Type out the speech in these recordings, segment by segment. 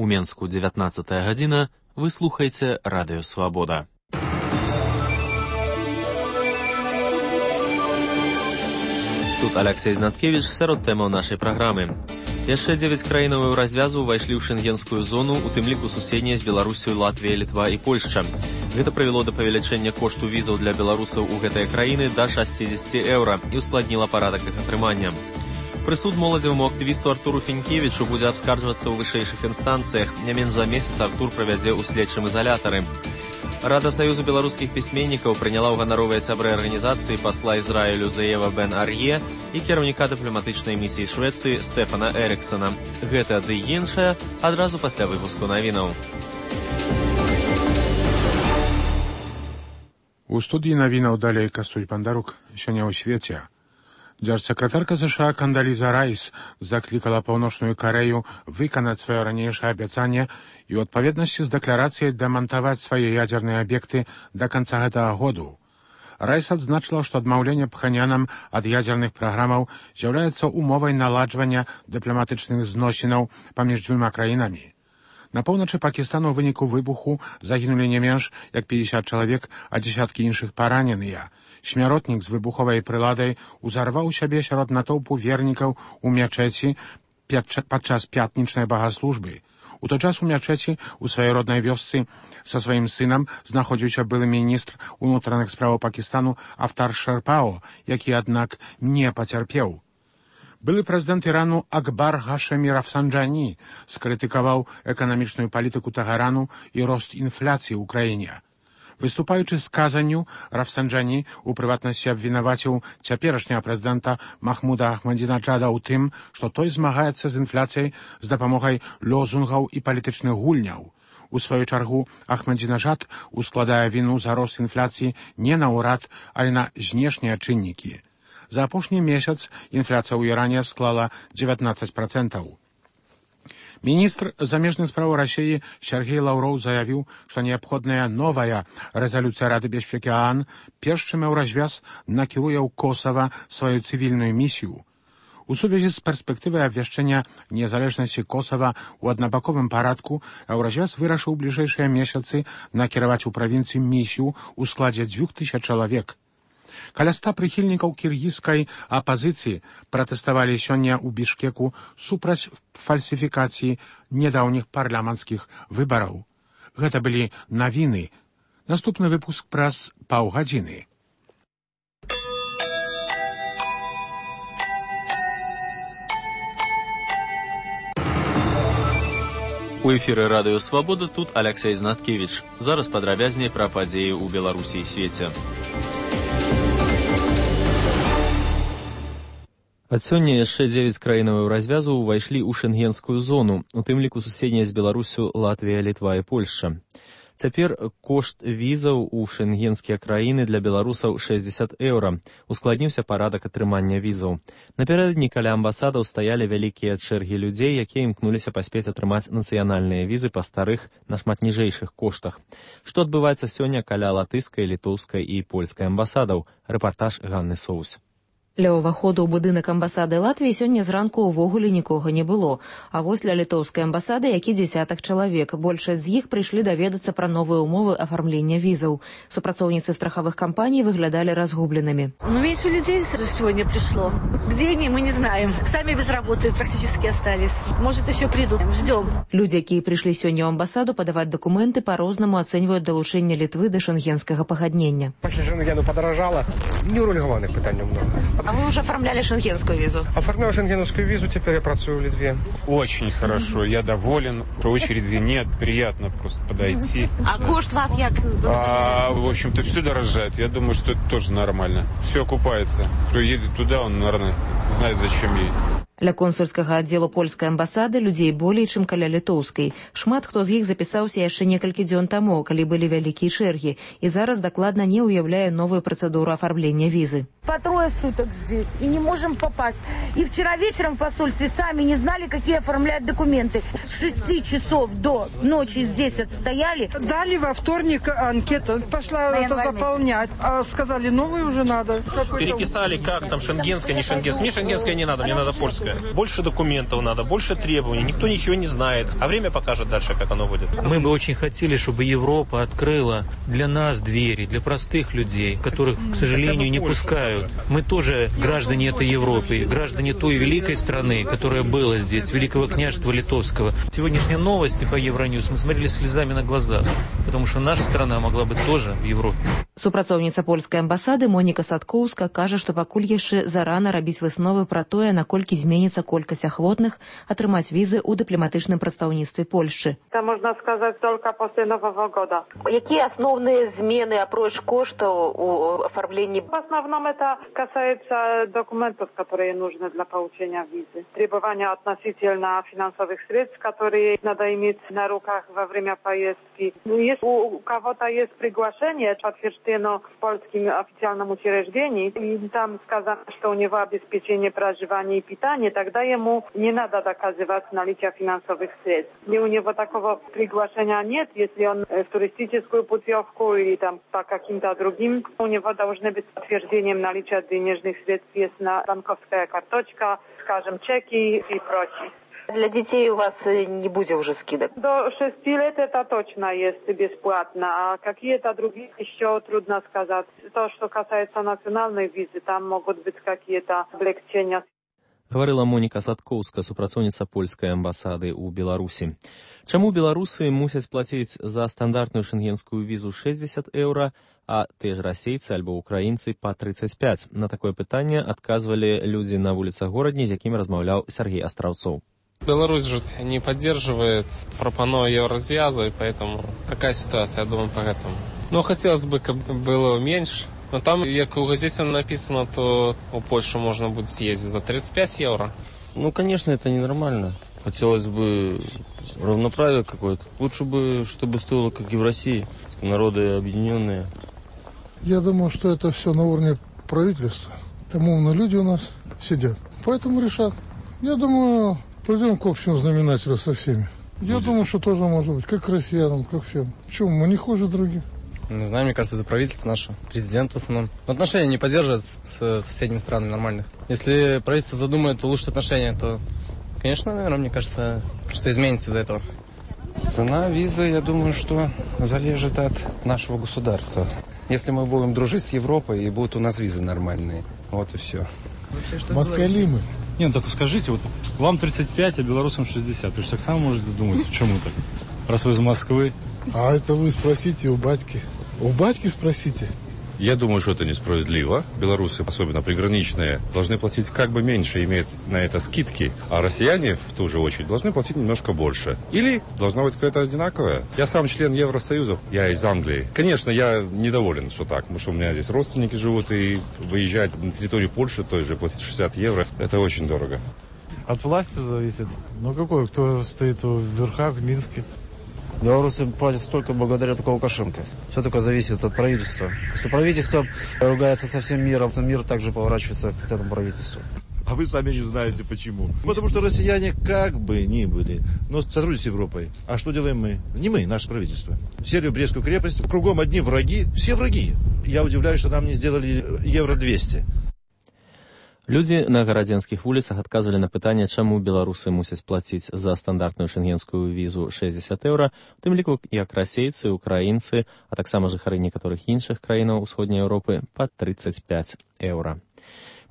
У Менску 19 гадзіна. Вы слухаеце Радыё Свабода. Тут Алексей Знаткевич сярод тэмаў нашай праграмы. Яшчэ 9 краінаў развязу ўвайшлі ў шэнгенскую зону, у тым ліку суседнія з Беларусю, Латвія, Літва і Польшча. Гэта прывяло да павелічэння кошту візаў для беларусаў у гэтыя краіны да 60 еўра і ускладніла парадак іх атрымання. Прысуд моладзеваму актывісту Артуру Фінкевічу будзе абскарджвацца ў вышэйшых інстанцыях. Не менш за месяц Артур правядзе ў следчым ізалятары. Рада Саюзу беларускіх пісьменнікаў прыняла ў ганаровыя сябры арганізацыі пасла Ізраілю Заева Бен Ар'е і кіраўніка дыпламатычнай місіі Швецыі Стэфана Эрыксона. Гэта ды іншае адразу пасля выпуску навінаў. У студії навінаў далей Кастусь Бандарук. Сёння ў свеце. Дзяржсакратарка США Кандаліза Райс заклікала Паўночную Карэю выканаць сваё ранейшае абяцанне і ў адпаведнасці з дэкларацыяй дэмантаваць свае ядзерныя аб'екты да канца гэтага году. Райс адзначыла, што адмаўленне Пханьянам ад ядзерных праграмаў з'яўляецца умовай наладжвання дыпламатычных зносінаў паміж дзвюма краінамі. На поўначы Пакістану ў выніку выбуху загінулі не менш як 50 чалавек, а дзесяткі іншых параненыя. Смяротнік з выбуховай прыладай узарваў сябе сярод натоўпу вернікаў у мячэці падчас пятнічнай багаслужбы. У той час у мячэці у сваёй роднай вёсцы са сваім сынам знаходзіўся былы міністр унутраных спраў Пакістану Афтар Шерпао, які, аднак, не пацярпеў. Былы прэзідэнт Ірану Акбар Гашэмі Рафсанджані скрытыкаваў эканамічную палітыку Тэгэрану і рост інфляцыі ў краіне. Выступаючы з казанню, Рафсанджані у прыватнасці абвінаваціў цяперашняга прэзідэнта Махмуда Ахмадзінаджада ў тым, што той змагаецца з інфляцыяй з дапамогай лозунгаў і палітычных гульняў. У сваю чаргу Ахмадзінаджад ускладае віну за рост інфляцыі не на ўрад, але на знешнія чыннікі. За апошні месяц інфляцыя ў Іране склала 19%. Міністр замежных спраў Расіі Сергей Лаўроў заявіў, што неабходная новая рэзалюцыя Рады бяспекі ААН перш чым Еўразвяз накіруе ў Косава сваю цывільную місію. У сувязі з перспектывай абвяшчэння незалежнасці Косава ў аднабаковым парадку Еўразвяз вырашыў у бліжэйшыя месяцы накіраваць у правінцыі місію ў складзе 2000 чалавек. Каля 100 прыхільнікаў кіргізскай апазіцыі пратэставалі сёння ў Бішкеку супраць фальсіфікацыі нядаўніх парламенцкіх выбараў. Гэта былі навіны. Наступны выпуск праз паўгадзіны. У эфіры Радыё Свабода тут Алексей Знаткевич. Зараз падрабязней пра падзеі ў Беларусі і свеце. Ад сёння яшчэ 9 краінаў развязу ўвайшлі ў шэнгенскую зону, у тым ліку суседнія з Беларусю, Латвія, Літва і Польшча. Цяпер кошт візаў у шэнгенскія краіны для беларусаў 60 еўра. Ускладніўся парадак атрымання візаў. Напярэдадні каля амбасадаў стаялі вялікія чэргі людзей, якія імкнуліся паспець атрымаць нацыянальныя візы па старых, нашмат ніжэйшых коштах. Што адбываецца сёння каля латышскай, літоўскай і польскай амбасадаў? Рэпартаж Ганны Соус. Ля ўваходу ў будынак амбасады Латвіі сёння зранку ўвогуле нікога не было. А вось ля літоўскай амбасады які дзесятак чалавек. Большасць з іх прыйшлі даведацца пра новыя ўмовы афармлення візаў. Супрацоўніцы страховых компаний выглядали разгубленными. Меньше людей сегодня пришло. Где они, мы не знаем. Сами без работы практически остались. Может, еще придут. Ждем. Люди, якія прыйшлі сёння ў амбасаду падаваць дакументы, па-рознаму ацэньваюць далучэнне Літвы да шэнгенскага пагаднення. Пасля шэнгену падаражала. Неурегулированных пытаний много. А вы уже оформляли шенгенскую визу? Оформлял шенгеновскую визу, теперь я працую в Литве. Очень хорошо, я доволен. Очереди нет, приятно просто подойти. А кошт вас як задовольняет? В общем-то, все дорожает. Я думаю, что это тоже нормально. Все окупается. Кто едет туда, он, наверное, знает, зачем ей. Ля консульскага аддзелу польскай амбасады людзей болей, чым каля літоўскай. Шмат хто з іх запісаўся яшчэ некалькі дзён таму, калі былі вялікія чэргі, і зараз дакладна не ўяўляе новую працэдуру афармлення візы. По 3 суток здесь и не можем попасть. И вчера вечером в посольстве сами не знали, какие оформлять документы. С 6 часов до ночи здесь отстояли. Дали во вторник анкету, пошла это заполнять. А сказали, новую уже надо. Переписали, как там шенгенская, не шенгенская. Мне шенгенское не надо, мне надо польское. Больше документов надо, больше требований, никто ничего не знает. А время покажет дальше, как оно будет. Мы бы очень хотели, чтобы Европа открыла для нас двери, для простых людей, которых, к сожалению, не пускают. Мы тоже граждане этой Европы, граждане той великой страны, которая была здесь, Великого княжества Литовского. Сегодняшние новости по Евроньюз мы смотрели слезами на глазах, потому что наша страна могла быть тоже в Европе. Супрацоўніца польскай амбасады Моніка Садкоўска кажа, што пакуль яшчэ зарана рабіць высновы пра тое, наколькі зменіцца колькасць ахвотных атрымаць візы ў дыпламатычным прадстаўніцтве Польшчы. Это можно сказать только после Нового года. Какие основные змены, апроч коштаў у оформлении? В основном это касается документов, которые нужны для получения визы. Требования относительно финансовых средств, которые надо иметь на руках во время поездки. Если у кого-то есть приглашение, подтверждено в польском официальном учреждении, и там сказано, что у него обеспечение проживания и питания, тогда ему не надо доказывать наличие финансовых средств. Если у него такого приглашения нет, если он в туристическую путевку или там по каким-то другим, у него должны быть подтверждением наличия денежных средств, есть на банковская карточка, скажем, чеки и прочее. Для детей у вас не будет уже скидок? До 6 лет это точно есть бесплатно, а какие-то другие еще трудно сказать. То, что касается национальной визы, там могут быть какие-то облегчения. Гаварыла Моніка Садкоўска, супрацоўніца польскай амбасады ў Беларусі. Чаму беларусы мусяць плаціць за стандартную шенгенскую візу 60 еўра, а те ж расейцы альбо украінцы па 35? На такое пытанне адказвалі людзі на вуліцах горадні, з якімі размаўляў Сергей Астраўцоў. Беларусь же не поддерживает пропану Еврозвяза, и поэтому такая ситуация, я думаю, поэтому. Но хотелось бы, как было меньше. Но там, как у газете написано, то у Польши можно будет съездить за 35 евро. Ну, конечно, это ненормально. Хотелось бы равноправия какое-то. Лучше бы, чтобы стоило, как и в России. Народы объединенные. Я думаю, что это все на уровне правительства. Там умные люди у нас сидят. Поэтому решат. Я думаю, придем к общему знаменателю со всеми. Я думаю, что тоже может быть. Как россиянам, как всем. Почему? Мы не хуже других. Не знаю, мне кажется, это правительство наше, президент в основном. Но отношения не поддерживают с соседними странами нормальных. Если правительство задумает улучшить отношения, то, конечно, наверное, мне кажется, что изменится из-за этого. Цена визы, я думаю, что залежит от нашего государства. Если мы будем дружить с Европой, и будут у нас визы нормальные. Вот и все. Москали мы. Не, ну так скажите, вот вам 35, а белорусам 60. Вы же так само можете думать, почему так? Раз вы из Москвы. А это вы спросите у батьки. У батьки спросите. Я думаю, что это несправедливо. Белорусы, особенно приграничные, должны платить как бы меньше, имеют на это скидки, а россияне, в ту же очередь, должны платить немножко больше. Или должно быть какое-то одинаковое. Я сам член Евросоюза, я из Англии. Конечно, я недоволен, что так, потому что у меня здесь родственники живут, и выезжать на территорию Польши, той же, платить 60 евро, это очень дорого. От власти зависит. Ну какой, кто стоит у верха в Минске? Белорусы платят столько благодаря только Лукашенко. Все только зависит от правительства. Если правительство ругается со всем миром, мир также поворачивается к этому правительству. А вы сами не знаете почему. Потому что россияне как бы ни были, но сотрудничают с Европой. А что делаем мы? Не мы, наше правительство. Сели в Брестскую крепость, кругом одни враги, все враги. Я удивляюсь, что нам не сделали евро 200. Людзі на гарадзенскіх вуліцах адказвалі на пытанне, чаму беларусы мусяць плаціць за стандартную шенгенскую візу 60 еўра, у тым ліку як расейцы, украінцы, а таксама жыхары некаторых іншых краінаў усходняй Еўропы па 35 еўра.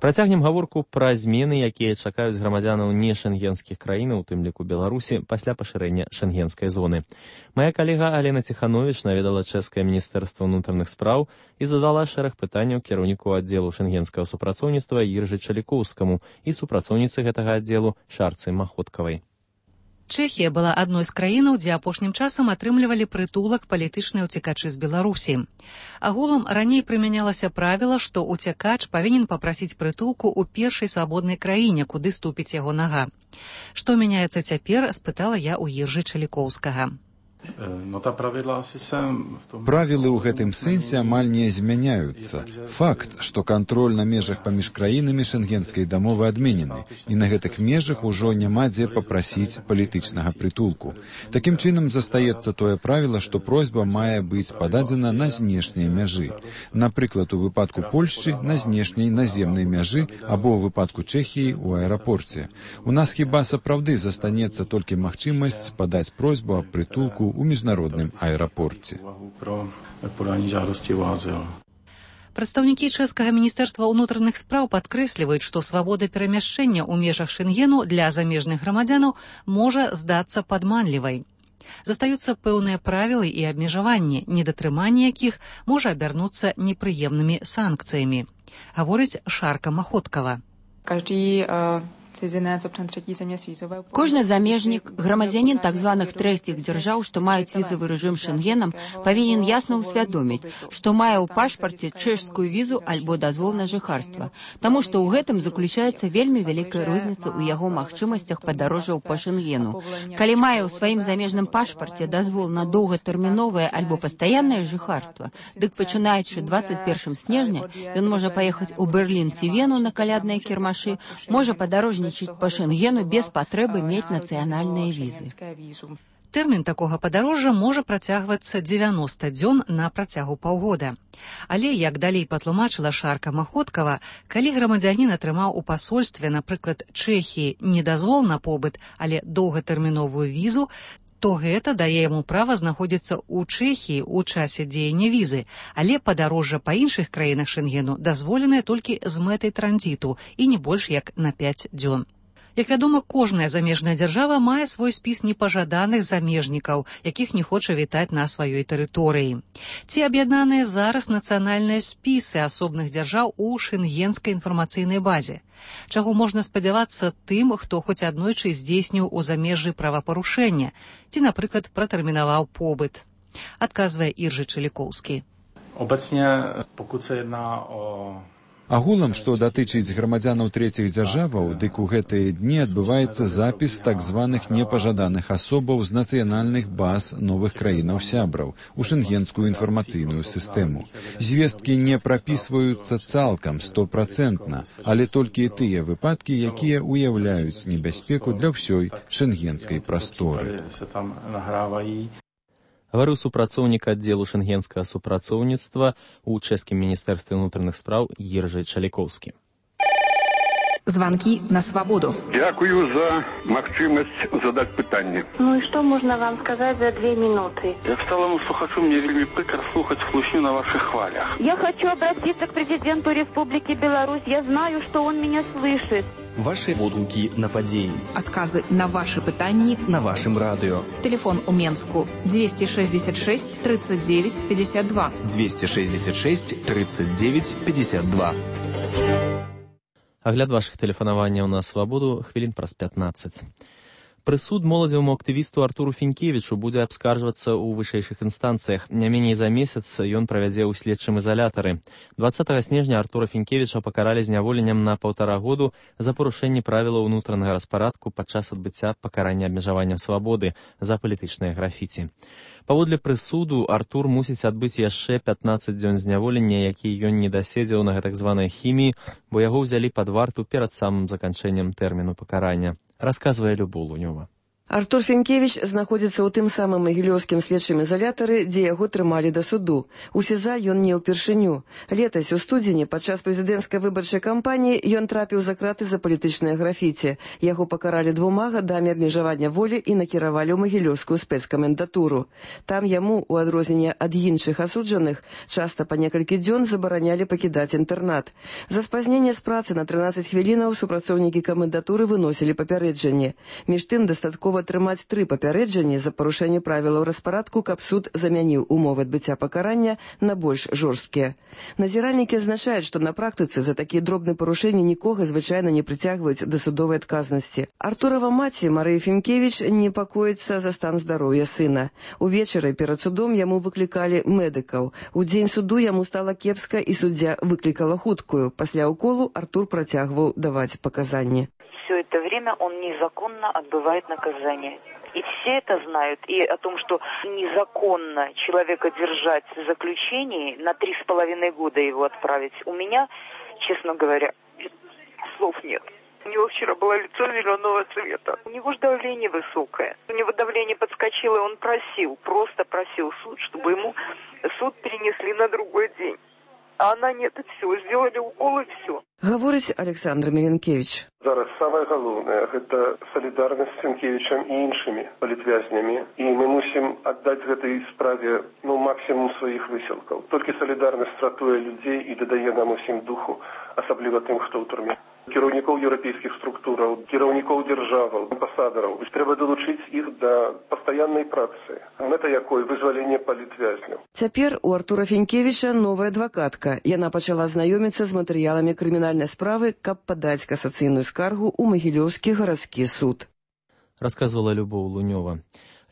Працягнем гаворку пра змены, якія чакаюць грамадзянаў не шенгенскіх краінаў, у тым ліку Беларусі, пасля пашырэння шенгенскай зоны. Мая калега Алена Ціхановіч наведала чэшскае міністэрства ўнутраных спраў і задала шэраг пытанняў кіраўніку аддзелу шенгенскага супрацоўніцтва Іржы Чалікоўскаму і супрацоўніцы гэтага аддзелу Шарцы Маходкавай. Чэхія была адной з краінаў, дзе апошнім часам атрымлівалі прытулак палітычныя ўцекачы з Беларусі. Агулам раней прымянялася правіла, што ўцекач павінен папрасіць прытулку ў першай свабоднай краіне, куды ступіць яго нага. Што мяняецца цяпер, спытала я ў Іржы Чалікоўскага. Правілы ў гэтым сэнсе амаль не змяняюцца. Факт, што кантроль на межах паміж краінамі шэнгенскай дамовы адменены, і на гэтых межах ужо няма дзе папрасіць палітычнага прытулку. Такім чынам застаецца тое правіла, што просьба мае быць пададзена на знешняй мяжы. Напрыклад, у выпадку Польшчы на знешняй наземнай мяжы або ў выпадку Чэхіі ў аэрапорце. У нас хіба сапраўды застанецца толькі магчымасць падаць просьбу аб прытулку у міжнародным аэрапорце. Прадстаўнікі чэшскага міністэрства ўнутраных спраў падкрэсліваюць, што свабода перамяшчэння ў межах Шэнгену для замежных грамадзянаў можа здацца падманлівай. Застаюцца пэўныя правілы і абмежаванні, недатрыманне якіх можа абярнуцца непрыемнымі санкцыямі. Гаворыць Шарка Маходкава. Кожны замежнік, грамадзянін так званых трэціх дзяржаў, што маюць візавы рэжым Шэнгенам, павінен ясна ўсвядоміць, што мае ў пашпарце чэшскую візу альбо дазвол на жыхарства, таму што ў гэтым заключаецца вельмі вялікая розніца ў яго магчымасцях падарожжаў па Шэнгену. Калі мае ў сваім замежным пашпарце дазвол на доўгатэрміновае альбо пастаяннае жыхарства, дык пачынаючы 21 снежня ён можа паехаць у Берлін ці Вену на калядныя кірмашы, можа падарожніць по Шэнгену без патрэбы мець нацыянальныя візы. Тэрмін такога падарожжа можа працягвацца 90 дзён на працягу паўгода. Але, як далей патлумачыла Шарка Маходкава, калі грамадзянін атрымаў у пасольстве, напрыклад, Чэхіі, не дазвол на побыт, але доўгатэрміновую візу, то гэта дае яму права знаходзіцца ў Чэхіі ў часе дзеяння візы, але падарожжа па іншых краінах Шэнгену дазволенае толькі з мэтай транзіту і не больш як на 5 дзён. Як вядома, кожная замежная дзяржава мае свой спіс непажаданых замежнікаў, якіх не хоча вітаць на сваёй тэрыторыі. Ці аб'яднаныя зараз нацыянальныя спісы асобных дзяржаў у шэнгенскай інфармацыйнай базе? Чаго можна спадзявацца тым, хто хоць аднойчы здзейсніў у замежжы правапарушэння, ці, напрыклад, пратэрмінаваў побыт? Адказвае Іржы Чалікоўскі. Obecnie, pokud se jedná o Агулам, што датычыць грамадзянаў трэціх дзяржаваў, дык у гэтыя дні адбываецца запіс так званых непажаданых асобаў з нацыянальных баз новых краінаў-сябраў у шэнгенскую інфармацыйную сістэму. Звесткі не прапісваюцца цалкам 100%, але толькі тыя выпадкі, якія ўяўляюць небяспеку для ўсёй шэнгенскай прасторы. Гаварыў супрацоўнік аддзелу шэнгенскага супрацоўніцтва ў чэшскім міністэрстве ўнутраных спраў Іржы Чалікоўскі. Звонки на свободу. Дякую за магчымасць задаць пытанне. Ну и что можно вам сказать за 2 минуты? Я стала вам слухачу, мне вельмі прыкра слухаць хлусню на ваших хвалях. Я хочу обратиться к президенту Республики Беларусь. Я знаю, что он меня слышит. Ваши водгукі на падзеі. Отказы на ваши пытанні на вашым радыё. Телефон у Менску 266 39 52. 266 39 52. Агляд вашых тэлефанаванняў на свабоду хвілін праз 15. Прысуд моладзеваму актывісту Артуру Фінкевічу будзе абскарджвацца ў вышэйшых інстанцыях. Не меней за месяц ён правядзе ў следчым изалятары. 20 снежня Артура Фінкевіча пакаралі зняволеннем на 1,5 году за парушэнне правілаў унутранага распарадку падчас адбыцця пакарання абмежавання свабоды за палітычнае графіці. Паводле прысуду Артур мусіць адбыць яшчэ 15 дзён зняволення, які ён не даседзеў на гэтак званай хіміі, бо яго ўзялі пад варту перад самым заканчэннем тэрміну пакарання. Расказвае Любоў Лунёва. Артур Фінкевіч знаходзіцца ў тым самым магілёўскім следчым изалятары, дзе яго трымалі да суду. У СІЗА ён не ўпершыню. Летась у студзені падчас прэзідэнцкай выбарчай кампаніі ён трапіў за краты за палітычнае графіці. Яго пакаралі 2 гадамі абмежавання волі і накіравалі ў магілёўскую спецкамендатуру. Там яму, у адрозненне ад іншых асуджаных, часта па некалькі дзён забаранялі пакідаць інтэрнат. За спазненне з працы на 13 хвілінаў супрацоўнікі камендатуры выносілі папярэджанне. Між тым дастаткова атрымаць 3 папярэджанні за парушэнне правілаў распарадку, каб суд замяніў умовы адбыцця пакарання на больш жорсткія. Назіральнікі адзначаюць, што на практыцы за такія дробныя парушэнні нікога звычайна не прыцягваюць да судовай адказнасці. Артурава маці Марыя Фінкевіч непакоіцца за стан здароўя сына. Увечары перад судом яму выклікалі медыкаў. У дзень суду яму стала кепска і суддзя выклікала хуткую. Пасля ўколу Артур працягваў даваць паказанні. Все это время время он незаконно отбывает наказание. И все это знают. И о том, что незаконно человека держать в заключении, на 3,5 года его отправить, у меня, честно говоря, слов нет. У него вчера было лицо зеленого цвета. У него же давление высокое. У него давление подскочило, и он просто просил суд, чтобы ему суд перенесли на другой день. А она нет, и все, сделали укол, и все. Говорить Александр Миленкевич. Зараз самое головное – это солидарность с Сенкевичем и іншими політвязнями. И мы мусим отдать в этой справе максимум своих висілків. Тільки солідарність ратує людей і додає нам усім духу, особливо тим, хто в турмі. Кіраўнікоў еўрапейскіх структураў, кіраўнікоў дзяржаваў, амбасадараў. Трэба долучыць іх да пастаяннай працы. Мэта якой вызваленне палітвязняў. Цяпер у Артура Фінкевіча новая адвакатка. Яна пачала знаёміцца з матэрыяламі крымінальнай справы, каб падаць касацыйную скаргу ў Магілёўскі гарадскі суд. Расказвала Любоў Лунёва.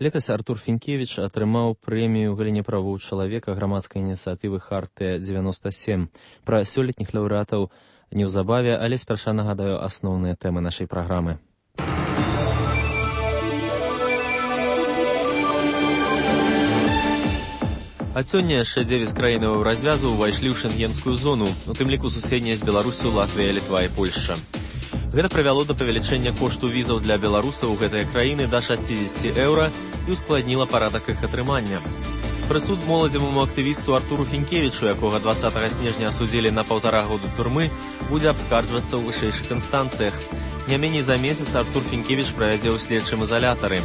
Летась Артур Фінкевіч атрымаў прэмію ў галіне правоў чалавека грамадскай ініцыятывы «Хартыя-97». Пра сёлетніх лаўрэатаў неўзабаве, але спярша нагадаю асноўныя тэмы нашай праграмы. Ад сёння яшчэ 9 краінаў развязу ўвайшлі ў шэнгенскую зону, у тым ліку суседнія з Беларусю, Латвія, Літва і Польшча. Гэта прывяло да павелічэння кошту візаў для беларусаў у гэтыя краіны да 60 еўра і ускладніла парадак іх атрымання. Прысуд моладзеваму актывісту Артуру Фінкевічу, якога 20 снежня асудзілі на 1,5 году турмы, будзе абскарджвацца ў вышэйшых інстанцыях. Не меней за месяц Артур Фінкевіч правядзе ў следчым изолятары.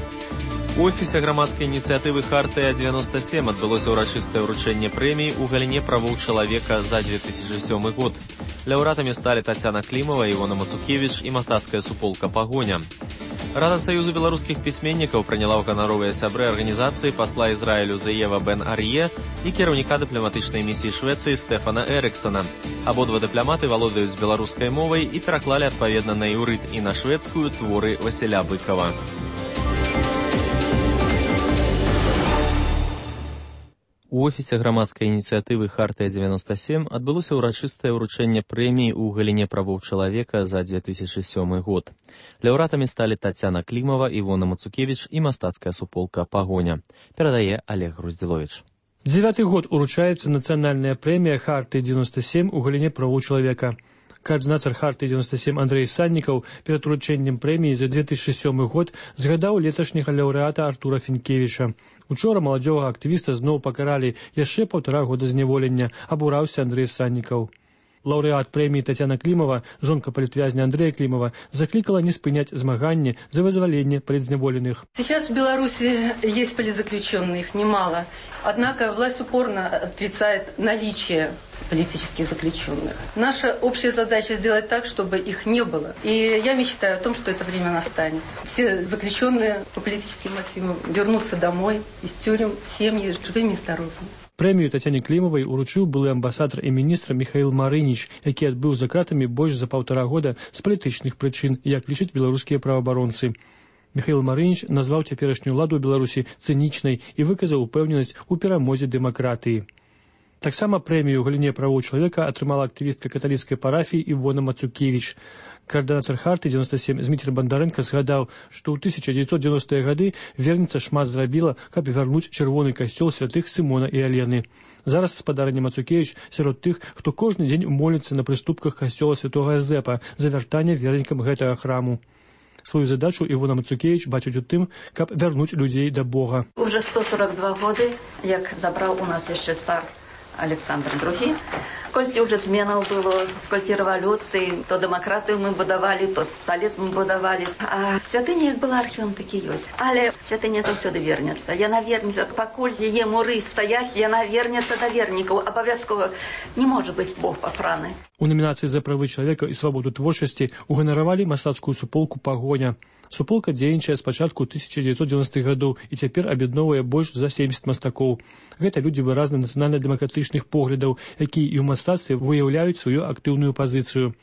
У офісе грамадскай ініцыятывы «Хартыя-97» адбылося ўрачыстае ўручэнне прэміі ў галіне правоў чалавека за 2007 год. Лаўрэатамі сталі Тацяна Клімава, Івона Мацукевіч і мастацкая суполка «Пагоня». Рада Саюзу беларускіх пісьменнікаў прыняла ў ганаровыя сябры арганізацыі пасла Ізраілю Зеева Бен Ар'е і кіраўніка дыпламатычнай місіі Швецыі Стэфана Эрыксона. Абодва дыпламаты валодаюць беларускай мовай і пераклалі адпаведна на іўрыт і на шведскую творы Васіля Быкова. У офісе грамадскай ініцыятывы «Хартыя-97» адбылося ўрачыстае ўручэнне прэміі ў галіне правоў чалавека за 2007 год. Лаўрэатамі сталі Тацяна Клімава, Івона Мацукевіч і мастацкая суполка «Пагоня». Перадае Олег Груздзіловіч. 9-й год уручаецца нацыянальная прэмія «Хартыя-97» у галіне правоў чалавека. Координатор «Хартыі-97» Андрей Саннікаў перад уручэннем прэміі за 2007 год згадаў леташняга лаўрэата Артура Фінкевіча. Учора маладзёвага актывіста зноў пакаралі яшчэ 1,5 года зняволення, абураўся Андрей Саннікаў. Лаўрэат прэміі Тацяна Клімава, жонка палітвязня Андрея Климова, закликала не спынять змаганне за вызволение политзневоленных. Сейчас в Беларуси есть политзаключенные, их немало. Однако власть упорно отрицает наличие политических заключенных. Наша общая задача сделать так, чтобы их не было. И я мечтаю о том, что это время настанет. Все заключенные по политическим мотивам вернутся домой из тюрем в семьи живыми и здоровыми. Прэмію Тацяне Клімавай уручыў былы амбасадар і міністр Міхаіл Марыніч, які адбыў за кратамі больш за 1,5 года з палітычных прычын, як лічаць беларускія праваабаронцы. Міхаіл Марыніч назваў цяперашнюю ўладу ў Беларусі цынічнай і выказаў упэўненасць у перамозе дэмакратыі. Таксама прэмію ў галіне правоў чалавека атрымала актывістка каталіцкай парафіі Івона Мацукевіч. Координатор «Хартыі-97» Зміцер Бандарэнка згадаў, што ў 1990-е гады верніца шмат зрабіла, каб вярнуць чырвоны касцёл святых Сымона і Алены. Зараз спадарня Мацукевіч сярод тых, хто кожны дзень моліцца на прыступках касцёла святога Эзэпа за вяртанне вернікам гэтага храму. Свою задачу Івона Мацукевіч бачыць у тым, каб вярнуць людзей да Бога. Уже 142 годы, як забраў у нас яшчэ цар Александр II. Сколькі уже зменаў было, сколькі рэвалюцый, то дэмакратыю мы будавалі, то сацыялізм мы будавалі. А святыня як была архівам, так і ёсць. Але святыня заўсёды вернецца. Яна вернецца, пакуль яе муры стаяць, яна вернецца да вернікаў. Абавязкова не можа быць Бог папраны. У номінацыі за правы чалавека і свабоду творчасці уганаравалі мастацкую суполку «Пагоня». Суполка дзейнічае з пачатку 1990-х гадоў і цяпер аб'ядноўвае больш за 70 мастакоў. Гэта людзі выразна нацыянальна-дэмакратычных поглядаў, якія і ў мастацтве выяўляюць сваю актыўную пазіцыю.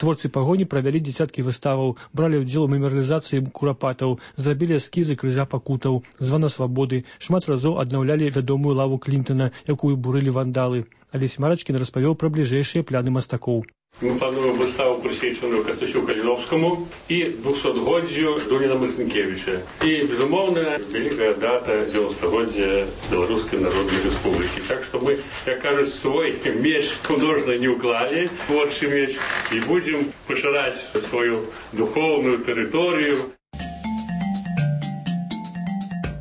Творцы «Пагоні» правялі дзесяткі выставаў, бралі ўдзел у мемарыялізацыі курапатаў, зрабілі эскізы крыжа пакутаў, звана свабоды, шмат разоў аднаўлялі вядомую лаву Клінтона, якую бурылі вандалы. Алесь Марачкін распавёў пра бліжэйшыя пляны мастакоў. Ми плануємо виставу присвячену Костянтину Калиновському і 200-годдю Дуніна Марцинкевича. І, безумовно, велика дата 90-годдя Білоруської Народної Республіки. Так що ми, як кажуть, свій меч художньо не уклали, творчий меч, і будемо поширати свою духовну територію.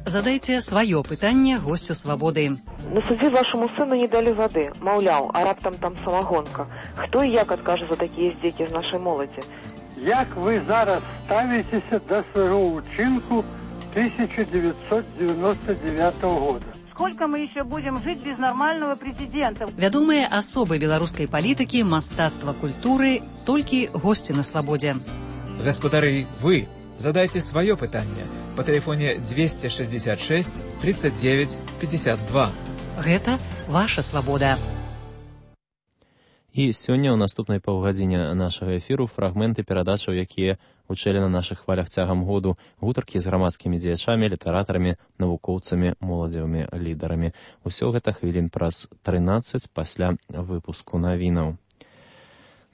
Задайте свое пытанне гостю «Свободы». На суді вашому сину не дали води. Мовляв, а раптом там самогонка. Хто і як откаже за такі здіки з нашої молоді? Як ви зараз ставитеся до свого учинку 1999 года? Сколько мы еще будем жить без нормального президента? Вядомыя асобы беларускай палітыкі, мастацтва, культуры, толькі госці на «Свободе». Гаспадары, вы задайте свое пытанне по телефоне 266 39 52. Гэта ваша «Свобода». І сёння ў наступнай паўгадзіне нашага эфіру фрагменты перадачаў, якія гучэлі на нашых хвалях цягам году, гутаркі з грамадскімі дзеячамі, літаратарамі, навукоўцамі, моладзевымі лідарамі. Усё гэта хвілін праз 13 пасля выпуску навінаў.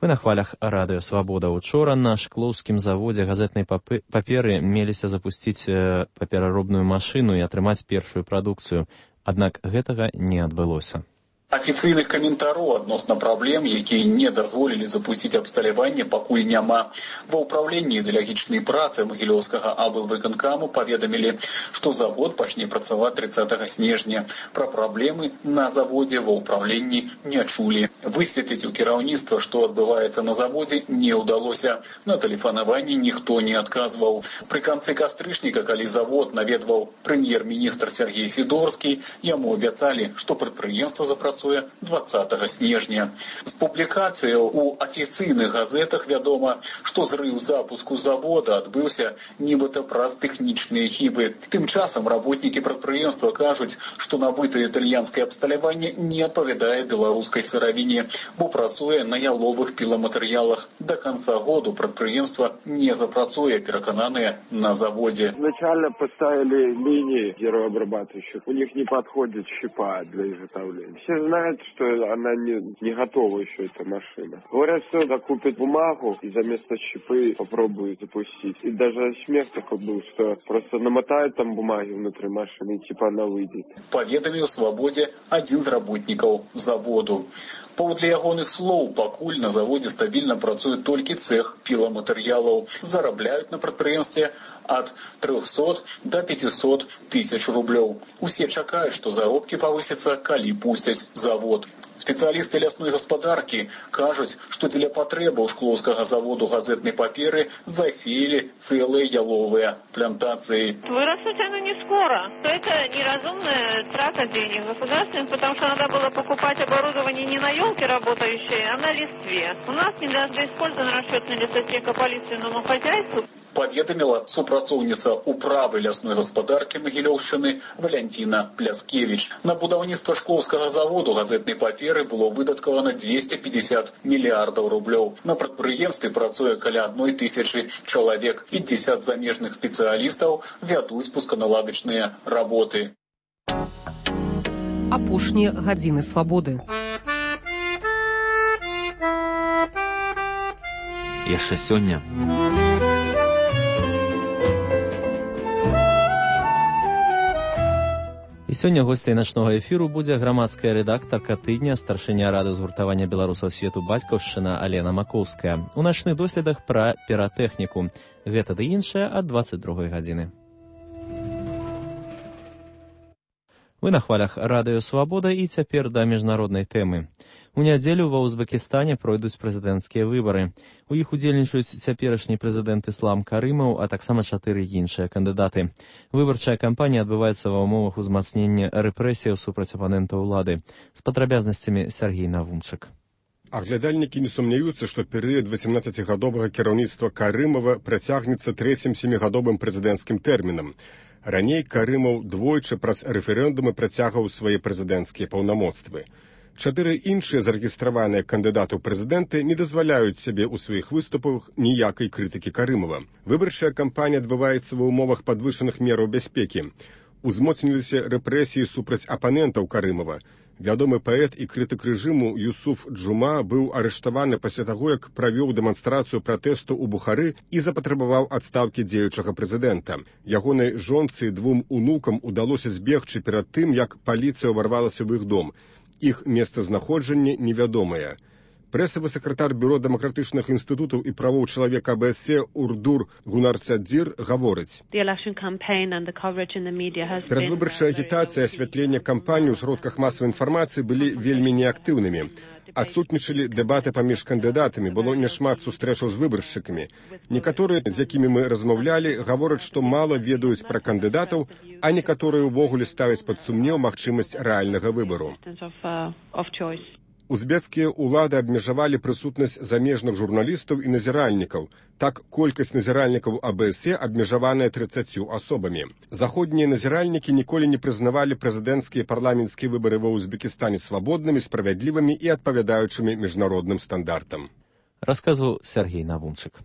Вы на хвалях радыё «Свабода». Учора на шклоўскім заводзе газетнай паперы меліся запусціць папераробную машыну і атрымаць першую прадукцыю. Аднак гэтага не адбылося. Афіцыйных каментароў адносна праблем, якія не дазволілі запусціць абсталяванне, пакуль няма. Ва ўпраўленні ідэалагічнай працы Магілёўскага аблвыканкаму паведамілі, што завод пачне працаваць 30 снежня. Пра праблемы на заводзе ва ўпраўленні не чулі. Высветліць у кіраўніцтва, што адбываецца на заводзе, не ўдалося. На тэлефанаванні ніхто не адказваў. Пры канцы кастрычніка, калі завод наведваў прэм'ер-міністр Сергей Сідорскі, яму абяцалі, што прадпрыемства запрацуе 20 снежня. З публікацыяў у афіцыйных газетах вядома, што зрыў запуску завода адбыўся нібыта праз тэхнічныя хібы. Тым часам работнікі прадпрыемства кажуць, што набытае італьянскае абсталяванне не адпавядае беларускай сыравіне, бо працуе на яловых піламатэрыялах. До конца году прадпрыемства не запрацуе, перакананыя на заводе. Изначально поставили линии герообрабатывающих. У них не подходит щепа для изготовления. Все знают, что она не готова еще, эта машина. Говорят, что докупят бумагу и за место щепы попробуют запустить. И даже смех такой был, что просто намотают там бумаги внутри машины, и типа она выйдет. Паведаміў у «Свободе» адзін з работнікаў заводу. Паводле ягоных слоў, пакуль на заводзе стабільна працуе толькі цэх піламатэрыялаў. Зарабляюць на прадпрыемстве ад 300 до 500 тысяч рублёў. Усе чакаюць, што заробкі павысяцца, калі пусцяць завод. Спецыялісты лясной гаспадаркі кажуць, што дзеля патрэбаў шклоўскага заводу газетнай паперы засеялі цэлыя яловыя плантацыі. Вырастут оно не скоро. Это неразумная трата денег государственных, потому что надо было покупать оборудование не на елке работающее, а на листве. У нас не даже использована расчетная лесотека по лиственному хозяйству. Паведаміла супрацоўніца управы лясной гаспадаркі Магілёўшчыны Валянціна Пляскевіч. На будаўніцтва шклоўскага заводу газетнай паперы было выдаткавана 250 мільярдаў рублёў. На прадпрыемстве працуе каля 1000 чалавек. 50 замежных спецыялістаў вядуць пусканаладачныя работы. Апошнія гадзіны свабоды. Яшчэ сёння. І сёння госцяй начнога эфіру будзе грамадская рэдактарка тыдня, старшыня рады згуртавання беларусаў свету бацькаўшчына Алена Макоўская. У начных доследах пра піратэхніку. Гэта ды іншае ад 22 гадзіны. Вы на хвалях радыё «Свабода» і цяпер да міжнароднай тэмы. У нядзелю ва Узбекістане пройдуць прэзідэнцкія выбары. У іх удзельнічаюць цяперашні прэзідэнт Іслам Карымаў, а таксама 4 іншыя кандыдаты. Выбарчая кампанія адбываецца ва ўмовах узмацнення рэпрэсіяў супраць апанентаў улады. З падрабязнасцямі Сергей Навумчык. Аглядальнікі не сумняюцца, што перыяд 18гадовага кіраўніцтва Карымава працягнецца 3-м 7гадовым прэзідэнцкім тэрмінам. Раней Карымаў двойчы праз рэферэндумы працягваў свае прэзідэнцкія паўнамоцтвы. 4 іншыя зарэгістраваныя кандыдаты ў прэзідэнты не дазваляюць сябе ў сваіх выступах ніякай крытыкі Карымава. Выбарчая кампанія адбываецца ва ўмовах падвышаных мераў бяспекі. Узмоцніліся рэпрэсіі супраць апанентаў Карымава. Вядомы паэт і крытык рэжыму Юсуф Джума быў арыштаваны пасля таго, як правёў дэманстрацыю пратэсту ў Бухары і запатрабаваў адстаўкі дзеючага прэзідэнта. Ягонай жонцы і 2 унукам удалося збегчы перад тым, як паліцыя ўварвалася в іх дом. Іх месцазнаходжанне невядомае. Прэсавы сакратар Бюро дэмакратычных інстытутаў і правоў чалавека АБС Урдур Гунарцадзір гаворыць. Перадвыбарчая агітацыя і асвятленне кампаній у сродках масавай інфармацыі былі вельмі неактыўнымі. Адсутнічалі дэбаты паміж кандыдатамі, было няшмат сустрэчаў з выбаршчыкамі. Некаторыя, з якімі мы размаўлялі, гавораць, што мала ведаюць пра кандыдатаў, а некаторыя ўвогуле ставяць пад сумнеў магчымасць рэальнага выбару. Узбекскія ўлады абмежавалі прысутнасць замежных журналістаў і назіральнікаў. Так, колькасць назіральнікаў АБС абмежаваная 30 асобамі. Заходнія назіральнікі ніколі не прызнавалі прэзідэнцкія і парламенцкія выбары ва Узбекістане свабоднымі, справядлівымі і адпавядаючымі міжнародным стандартам. Расказваў Сергей Навунчык.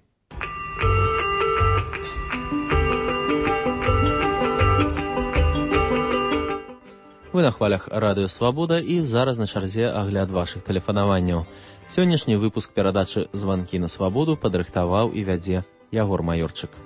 Вы на хвалях Радыё Свабода і зараз на чарзе агляд вашых тэлефанаванняў. Сённяшні выпуск перадачы «Званкі на свабоду» падрыхтаваў і вядзе Ягор Маёрчык.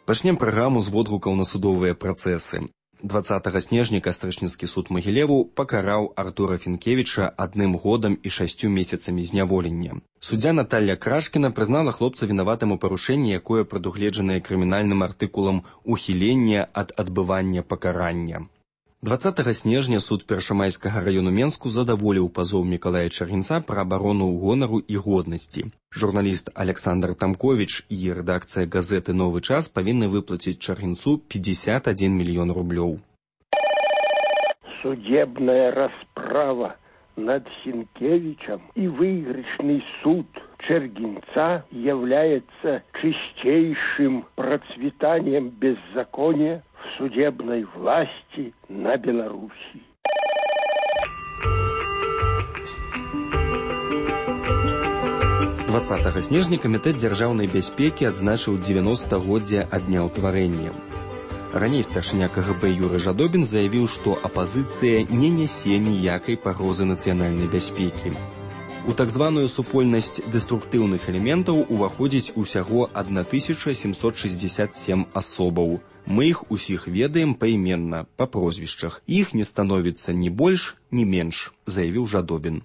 Пачнем праграму з водгукаў на судовыя працэсы. 20 снежня Кастрычніцкі суд Магілеву пакараў Артура Фінкевіча 1 годам і 6 месяцамі зняволення. Суддзя Наталля Крашкіна прызнала хлопца вінаватым у парушэнні, якое прадугледжанае крымінальным артыкулам ухілення ад адбывання пакарання. 20 снежня суд Першамайскага раёну Менску задаволіў пазоў Мікалая Чаргінца пра абарону гонару і годнасці. Журналіст Александр Тамковіч і рэдакцыя газеты «Новы час» павінны выплаціць Чаргінцу 51 мільён рублёў. Судебная расправа над Сінкевичем и выигрышный суд Чергинца является чистейшим процветанием беззакония в судебной власти на Беларуси. «20 снежня Камітэт дзяржаўнай бяспекі адзначыў 90-годдзе ад дня ўтварэння. Раней старшыня КГБ Юры Жадобін заявіў, што апазіцыя не нясе ніякай пагрозы нацыянальнай бяспекі. У так званую супольнасць дэструктыўных элементаў уваходзіць усяго 1767 асобаў. Мы іх усіх ведаем паіменна, па прозвішчах. Іх не становіцца ні больш, ні менш, заявіў Жадобін.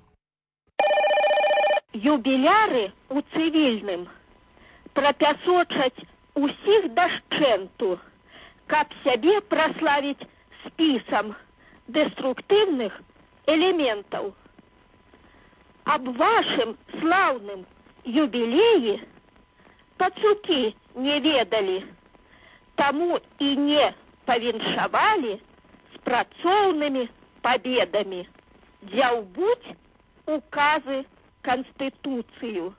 Юбіляры у цывільным прапясочаць усіх дашчэнту, каб сябе праславіць спісам дэструктыўных элементаў. Аб вашым слаўным юбілеі пацукі не ведалі, таму і не павіншавалі з працоўнымі пабедамі. Дзяўбуць указы Конституцию.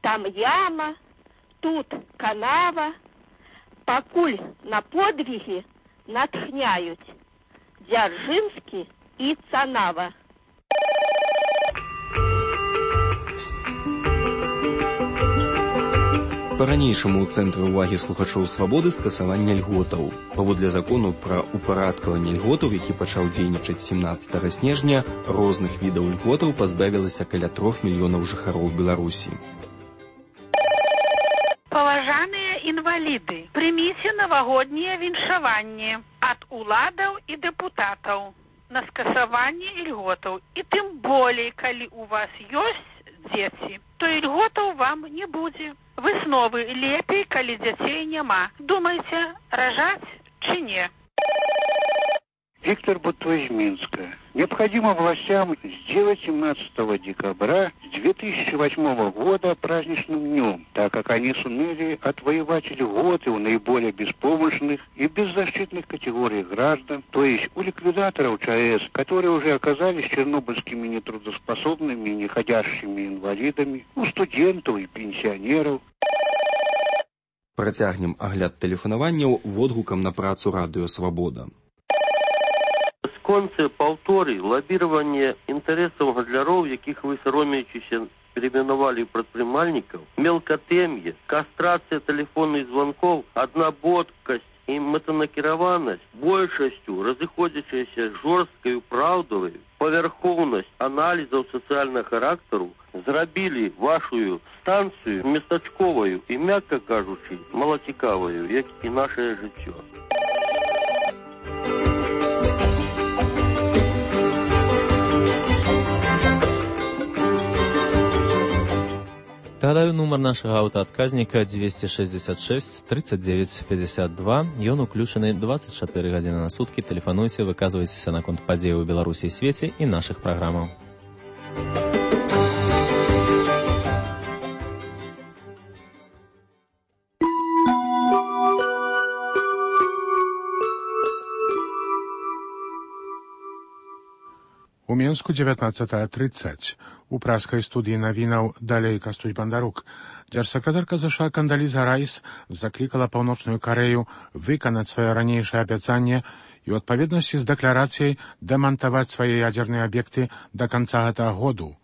Там яма, тут канава, пакуль на подвиги натхняють Дзяржинскі і Цанава. Па-ранейшаму ў цэнтры ўвагі слухачоў «Свабоды» скасавання льготаў. Паводле закону пра упарадкаванне льготаў, які пачаў дзейнічаць 17 снежня, розных відаў льготаў пазбавілася каля 3 мільёнаў жыхароў Беларусі. Паважаныя інваліды, прыміце навагоднія віншаванні ад уладаў і дэпутатаў на скасаванне льготаў. І тым болей, калі у вас ёсць дзеці, то льготаў вам не будзе. Высновы лепей, калі дзяцей няма. Думаеце, ражаць ці не? Виктор Бутто из Минска. Необходимо властям сделать 17 декабря 2008 года праздничным днем, так как они сумели отвоевать льготы у наиболее беспомощных и беззащитных категорий граждан, то есть у ликвидаторов ЧАЭС, которые уже оказались чернобыльскими нетрудоспособными и неходящими инвалидами, у студентов и пенсионеров. Працягнем агляд тэлефанаванняў водгукам на працу «Радыё Свабода». Конце паўторы лабіраванне інтарэсаў гандляров, якіх вы саромеючыся перейменовали прадпрымальнікаў, мелкатэм'е, кастрацыя тэлефонных звонков, аднаботкасць і мэтанакіраванасць большасцю разыходзячаяся жорсткаю праўдавай, павярхоўнасць аналізаў сацыяльнага характару зрабілі вашую станцыю местачковаю і, мякка кажучы, малацікаваю, як і нашае жыццё. Нагадаю, нумар нашага аўтаадказніка 266 39 52. Ён уключаны 24 гадзіны на суткі. Тэлефануйце, выказвайцеся наконт падзеяў у Беларусі і свеце і нашых праграмаў. У Менску 19:30. У праскай студыі навінаў далей Кастусь Бандарук. Дзяржсакратарка ЗША Кандаліза Райс заклікала Паўночную Карэю выканаць сваё ранейшае абяцанне і ў адпаведнасці з дэкларацыяй дэмантаваць свае ядзерныя аб'екты да канца гэтага году.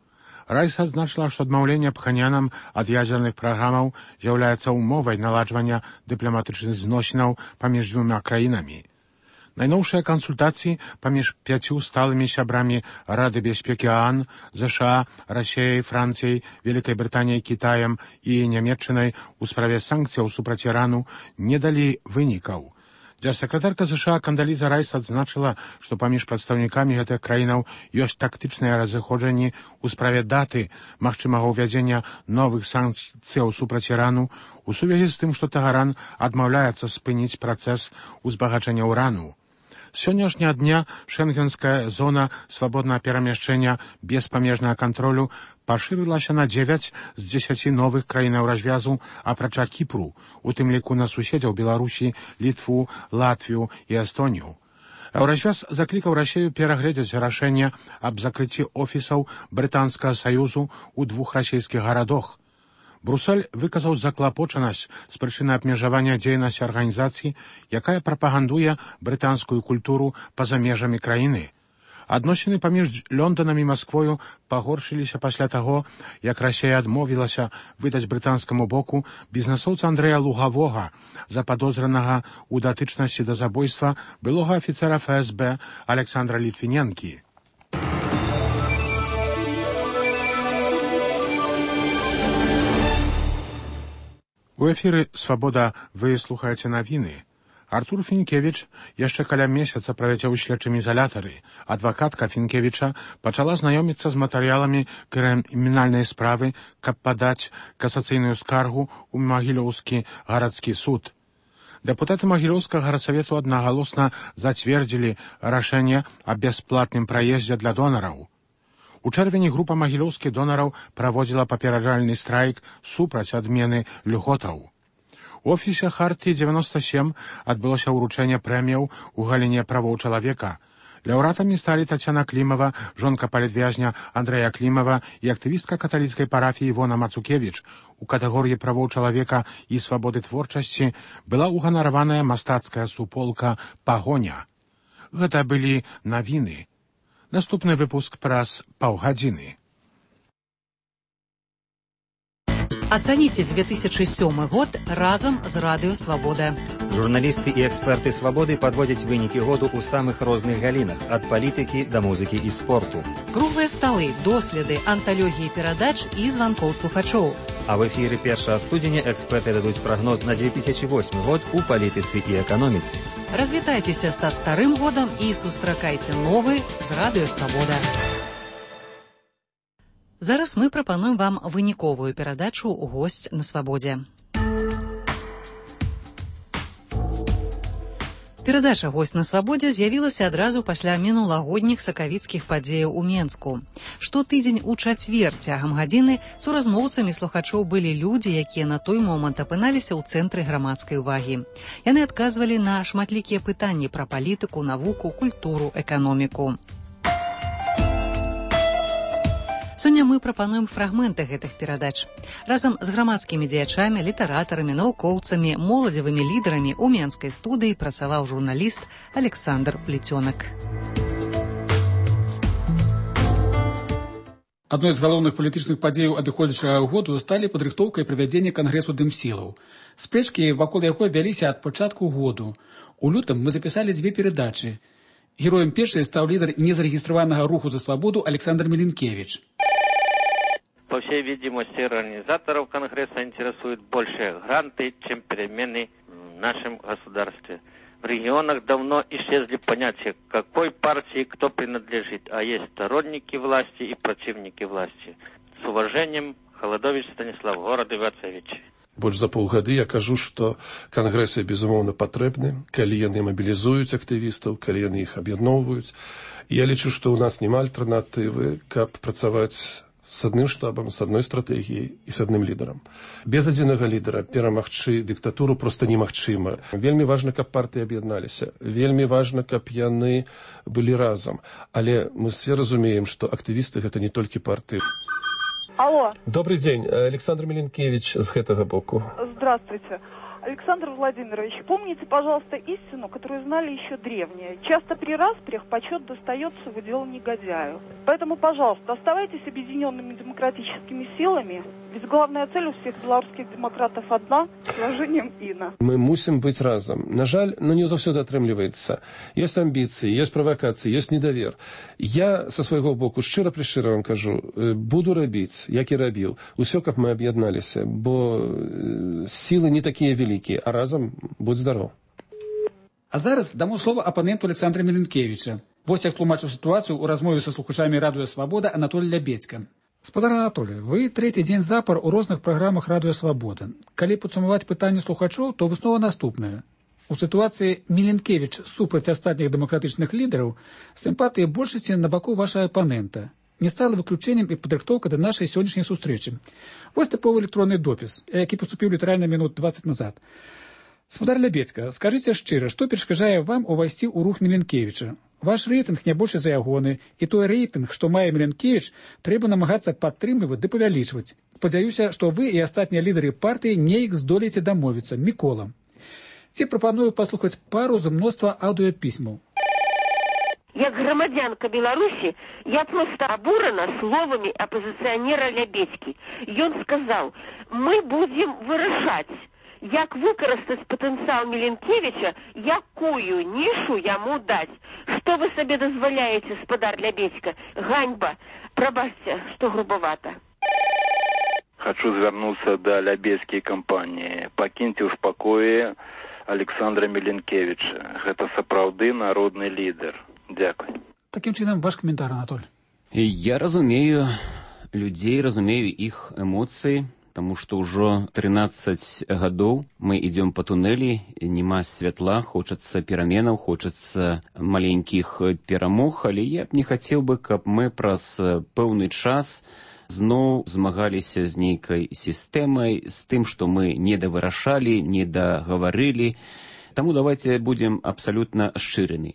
Райс адзначыла, што адмаўленне Пханьянам ад ядзерных праграмаў з'яўляецца умовай наладжвання дыпламатычных зносінаў паміж дзвюма краінамі. Найноўшыя кансультацыі паміж 5 сталымі сябрамі Рады бяспекі ААН, ЗША, Расіяй, Францыяй, Вялікай Брытаніяй, Кітаем і Нямецчынай у справе санкцыяў супраць Ірану не далі вынікаў. Дзяржсакратарка ЗША Кандаліза Райс адзначыла, што паміж прадстаўнікамі гэтых краінаў ёсць тактычныя разыходжанні ў справе даты магчымага ўвядзення новых санкцыяў супраць Ірану у сувязі з тым, што Тэгеран адмаўляецца спыніць працэс узбагачэння ўрану. З сённяшняга дня шэнгенская зона свабоднага перамяшчэння без памежнага кантролю пашырылася на 9 з 10 новых краінаў развязу, апрача Кіпру, у тым ліку на суседзяў Беларусі, Літву, Латвію і Эстонію. Еўразвяз заклікаў Расію перагледзець рашэнне аб закрыцці офісаў Брытанскага саюзу ў 2 расійскіх гарадах. Брусэль выказаў заклапочанасць з прычыны абмежавання дзейнасці арганізацыі, якая прапагандуе брытанскую культуру па-за межамі краіны. Адносіны паміж Лондонам і Масквою пагоршыліся пасля таго, як Расія адмовілася выдаць брытанскаму боку бізнэсоўца Андрэя Лугавога, западозранага ў датычнасці да забойства былога афіцера ФСБ Александра Літвіненкі. У эфіры «Свабода» вы слухаеце навіны. Артур Фінкевіч яшчэ каля месяца правядзе ў следчым ізалятары. Адвакатка Фінкевіча пачала знаёміцца з матэрыяламі крымінальнай справы, каб падаць касацыйную скаргу ў Магілёўскі гарадскі суд. Дэпутаты Магілёўскага гарсавету аднагалосна зацвердзілі рашэнне аб бясплатным праездзе для донараў. У чэрвені група магілёўскіх донараў праводзіла папераджальны страйк супраць адмены льготаў. У офісе Хартыі 97 адбылося ўручэнне прэміяў у галіне правоў чалавека. Лаўрэатамі сталі Тацяна Клімава, жонка палітвязня Андрэя Клімава і актывістка каталіцкай парафіі Івона Мацукевіч. У катэгорыі правоў чалавека і свабоды творчасці была ўганараваная мастацкая суполка «Пагоня». Гэта былі навіны. Наступны выпуск праз паўгадзіны. Ацаніце 2007 год разам з Радыё Свабода. Журналісты і эксперты Свабоды падводзяць вынікі году ў самых розных галінах, ад палітыкі да музыкі і спорту. Круглыя сталы, доследы, анталогіі перадач і званкоў слухачоў. А в эфіры 1 студзеня эксперты дадуць прагноз на 2008 год у палітыцы і эканоміцы. Развітайцеся са старым годам і сустракайце новы з Радыё Свабода. Зараз мы прапануем вам выніковую перадачу «Госць на свабодзе». Перадача «Госць на свабодзе» з'явілася адразу пасля мінулагодніх сакавіцкіх падзеяў у Менску. Штотыдзень у чацвер цягам гадзіны суразмоўцамі слухачоў былі людзі, якія на той момант апыналіся ў цэнтры грамадскай увагі. Яны адказвалі на шматлікія пытанні пра палітыку, навуку, культуру, эканоміку. Сёння мы прапануем фрагменты гэтых перадач. Разам з грамадскімі дзеячамі, літаратарамі, навукоўцамі, моладзевымі лідарамі ў менскай студыі працаваў журналіст Александр Плетёнак. Адной з галоўных палітычных падзеяў адыходзячага году сталі падрыхтоўка і правядзенне кангрэсу дымсілаў. Спрэчкі вакол яго вяліся ад пачатку году. У лютым мы запісалі 2 перадачы. Героем першай стаў лідар незарэгістраванага руху за свабоду Александр Миленкевич. По всей видимости, организаторов Конгресса интересуют больше гранты, чем перемены в нашем государстве. В регионах давно исчезли понятия, к какой партии кто принадлежит, а есть сторонники власти и противники власти. С уважением, Холодович Станислав, город Ивацевич. Больш за паўгады я кажу, што кангрэсы, безумоўна, патрэбны, калі яны мабілізуюць актывістаў, калі яны іх аб'ядноўваюць. Я лічу, што ў нас няма альтэрнатывы, каб працаваць с адным штабам, с адной стратэгіяй і с адным лідарам. Без адзінага лідара перамагчы дыктатуру проста немагчыма. Вельмі важна, каб партыі аб'ядналіся. Вельмі важна, каб яны былі разам. Але мы все разумеем, што актывісты гэта не толькі партыі. Алло. Добрый день, Александр Миленкевич с гэтага боку. Здравствуйте. Александр Владимирович, помните, пожалуйста, истину, которую знали еще древние. Часто при распрях почет достается в удел негодяю. Поэтому, пожалуйста, оставайтесь объединенными демократическими силами. Ведь главная цель у всех белорусских демократов одна – с уважением Инна. Мы мусим быть разом. На жаль, но не заўсёды атрымліваецца. Есть амбиции, есть провокации, есть недовер. Я со свайго боку шчыра-прышчыра вам кажу, буду рабіць, як і рабіў. Усё, каб мы аб'ядналіся, бо силы не такія великие, а разом будь здоров. А зараз дамо слово апаненту Александра Миленкевича. Вось як тлумачыў сітуацыю ў размове са слухачамі радыё «Свабода» Анатолий Лябедзька. Спадар Анатолий, вы трэці дзень запар у розных праграмах радыё «Свабода». Калі падсумаваць пытанне слухачоў, то выснова наступная. У сітуацыі Миленкевич супраць астатніх дэмакратычных лідараў сімпатыі большасці на баку вашага апанента. Не стала выключэннем і падрыхтоўка да нашай сённяшняй сустрэчы. Вось тыповы электронны допіс, які паступіў літаральна мінут 20 назад. Спадар Лябедзька, скажыце шчыра, што перашкаджае вам увайсці ў рух Миленкевича? Ваш рэйтынг не больш за ягоны, і той рэйтынг, што мае Миленкевич, трэба намагацца падтрымліваць ды павялічваць. Спадзяюся, што вы і астатнія лідары партыі неяк здолееце дамовіцца. Мікола. Ці прапаную паслухаць пару з мноства аўдыёпісьмаў. Як грамадзянка Беларусі, я просто абурана словамі апозіцыянера Лябедзькі. Ён сказаў, мы будзем вырашаць, як выкарыстаць патэнцыял Миленкевича, якую нішу яму даць. Што вы сабе дазваляеце, спадар Лябедзька? Ганьба. Прабачце, што грубавата. Хочу звярнуцца да Лябедзькай кампаніі. Пакіньце ў спакоі Александра Миленкевича. Гэта сапраўды народны лідар. Дякую. Таким чынам, ваш каментар, Анатоль. Я разумею людзей, разумею іх эмоцыі, таму што ўжо 13 гадоў мы ідём па тунэлі, няма святла, хочацца пераменаў, хочацца маленькіх перамог, але я б не хацеў бы, каб мы праз пэўны час зноў змагаліся з нейкай сістэмай, з тым, што мы не давырашалі, не дагаварылі. Таму давайте будем абсалютна шчырымі.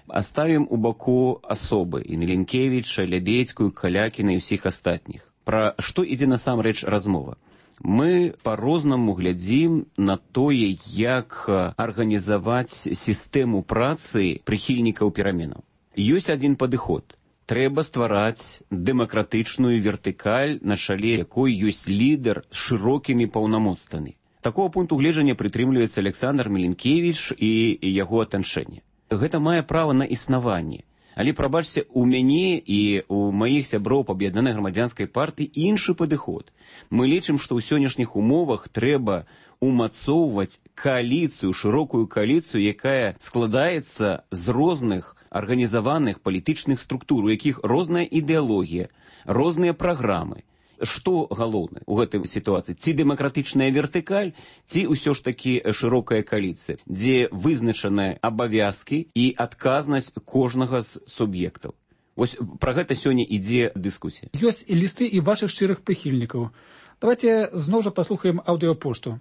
Оставим у баку асобы і Миленкевича, Лябедзькую, Калякіна і ўсіх астатніх. Пра што ідзе насамрэч размова? Мы па-рознаму глядзім на тое, як арганізаваць сістэму працы прыхільнікаў пераменаў. Ёсць адзін падыход. Трэба ствараць дэмакратычную вертыкаль, на шале якой ёсць лідар з шырокімі паўнамоцтвамі. Такого пункту гледжання прытрымліваецца Александр Миленкевич і яго атачэнне. Гэта мае права на існаванне. Але, прабачце, у мяне і у маіх сяброў па аб'яднанай грамадзянскай партыі іншы падыход. Мы лічым, што ў сённяшніх умовах трэба умацоўваць кааліцыю, шырокую кааліцыю, якая складаецца з розных арганізаваных палітычных структур, у якіх розная ідэалогія, розныя праграмы. Што галоўнае ў гэтай сітуацыі? Ці дэмакратычная вертыкаль, ці ўсё ж такі шырокая кааліцыя, дзе вызначаныя абавязкі і адказнасць кожнага з суб'ектаў. Вось пра гэта сёння ідзе дыскусія. Ёсць і лісты і вашых шчырых прыхільнікаў. Давайте зноў жа паслухаем аўдыёпошту.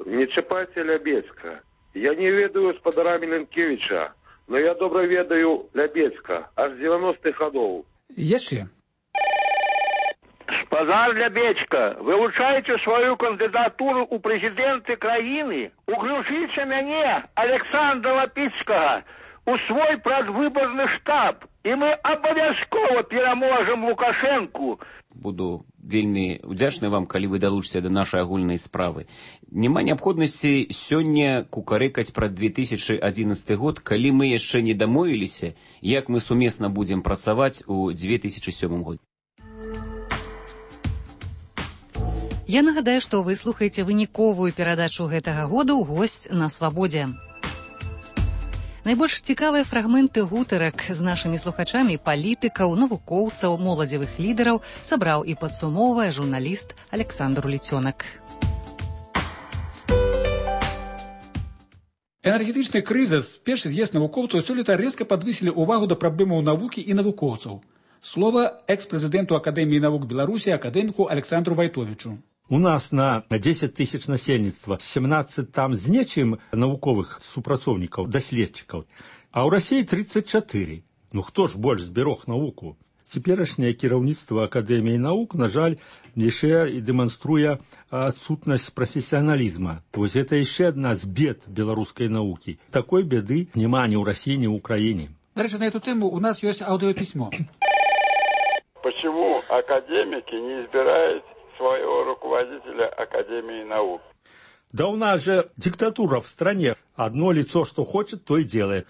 Не чапайце Лябедзька. Я не ведаю спадара Миленкевича, но я добра ведаю Лябедзька, аж 90-х гадоў. Яшчэ. Спадар Лябедзька, вылучаеце сваю кандыдатуру ў прэзідэнты краіны, уключыце мяне, Александра Лапіцкага, у свой прадвыбарны штаб. і мы абавязкова пераможам Лукашэнку. Буду вельмі удзячны вам, калі вы далучыце да нашай агульнай справы. Няма неабходнасці сёння кукарэкаць пра 2011 год, калі мы яшчэ не дамовіліся, як мы сумесна будзем працаваць у 2007 годзе. Я нагадаю, што вы слухаеце выніковую перадачу гэтага года ў госць на свабодзе. Найбольш цікавыя фрагменты гутарак з нашымі слухачамі палітыкаў, навукоўцаў, моладзевых лідараў сабраў і падсумоўвае журналіст Александр Уліцёнак. Энергетычны крызіс, першы з'езд навукоўцаў сёлета рэзка падвысілі ўвагу да праблемаў навукі і навукоўцаў. Слова экс-прэзідэнту Акадэміі навук Беларусі, акадэміку Александру Вайтовічу. У нас на 10 тысяч насельніцтва 17 там з нечым навуковых супрацоўнікаў, даследчыкаў, а ў Расіі 34. Ну хто ж больш зберог навуку? Цяперашняе кіраўніцтва Акадэміі навук, на жаль, яшчэ і дэманструе адсутнасць прафесіяналізма. Вось гэта яшчэ адна з бед беларускай навукі. Такой беды няма ні ў Расіі, ні ў Украіне. До речи, на эту тему у нас есть аудиописьмо. Почему академики не избирают своего руководителя Академии наук? Да у нас же диктатура в стране. Одно лицо, что хочет, то и делает.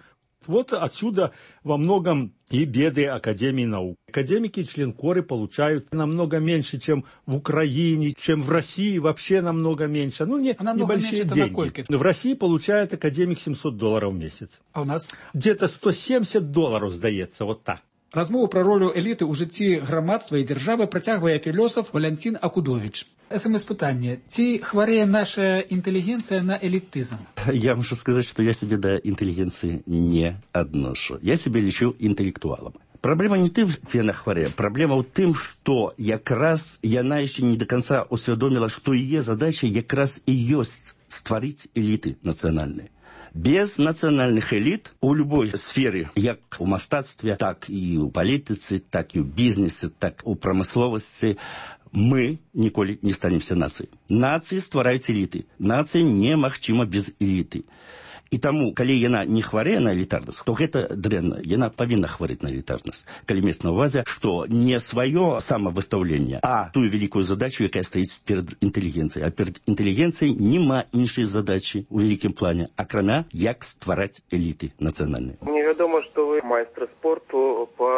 Вот отсюда во многом и беды Академии наук. Академики, членкоры получают намного меньше, чем в Украине, чем в России, вообще намного меньше. Ну, небольшие деньги. В России получает академик $700 в месяц. А у нас? Где-то $170 сдается, вот так. Размову пра ролю эліты ў жыцці грамадства і дзяржавы працягвае філосаф Валянцін Акудовіч. СМС-пытанне. Ці хварэе наша інтэлігенцыя на элітызм? Я мушу сказать, что я себе до интеллигенции не отношу. Я себя лечу интеллектуалом. Проблема не тым, ці яна хварэе. Проблема ў тым, што якраз яна яшчэ не до конца усвядоміла, што яе задача якраз і ёсць стварыць эліты нацыянальныя. Без национальных элит у любой сферы, як у мастацтве, так і у палітыцы, так і у бізнесе, так у прамысловасці, мы ніколі не станемся нацыяй. Нацыі ствараюць эліты. Нацыя немагчыма без эліты. І таму, калі яна не хварэе на элітарнасць, то гэта дрэнна. Яна павінна хварэць на элітарнасць. Калі мець на ўвазе, што не сваё самавыстаўленне, а тую вялікую задачу, якая стаіць перад інтэлігенцыяй. А перад інтэлігенцыяй няма іншай задачы ў вялікім плане, акрамя як ствараць эліты нацыянальныя. Мне вядома, што вы майстар спорту по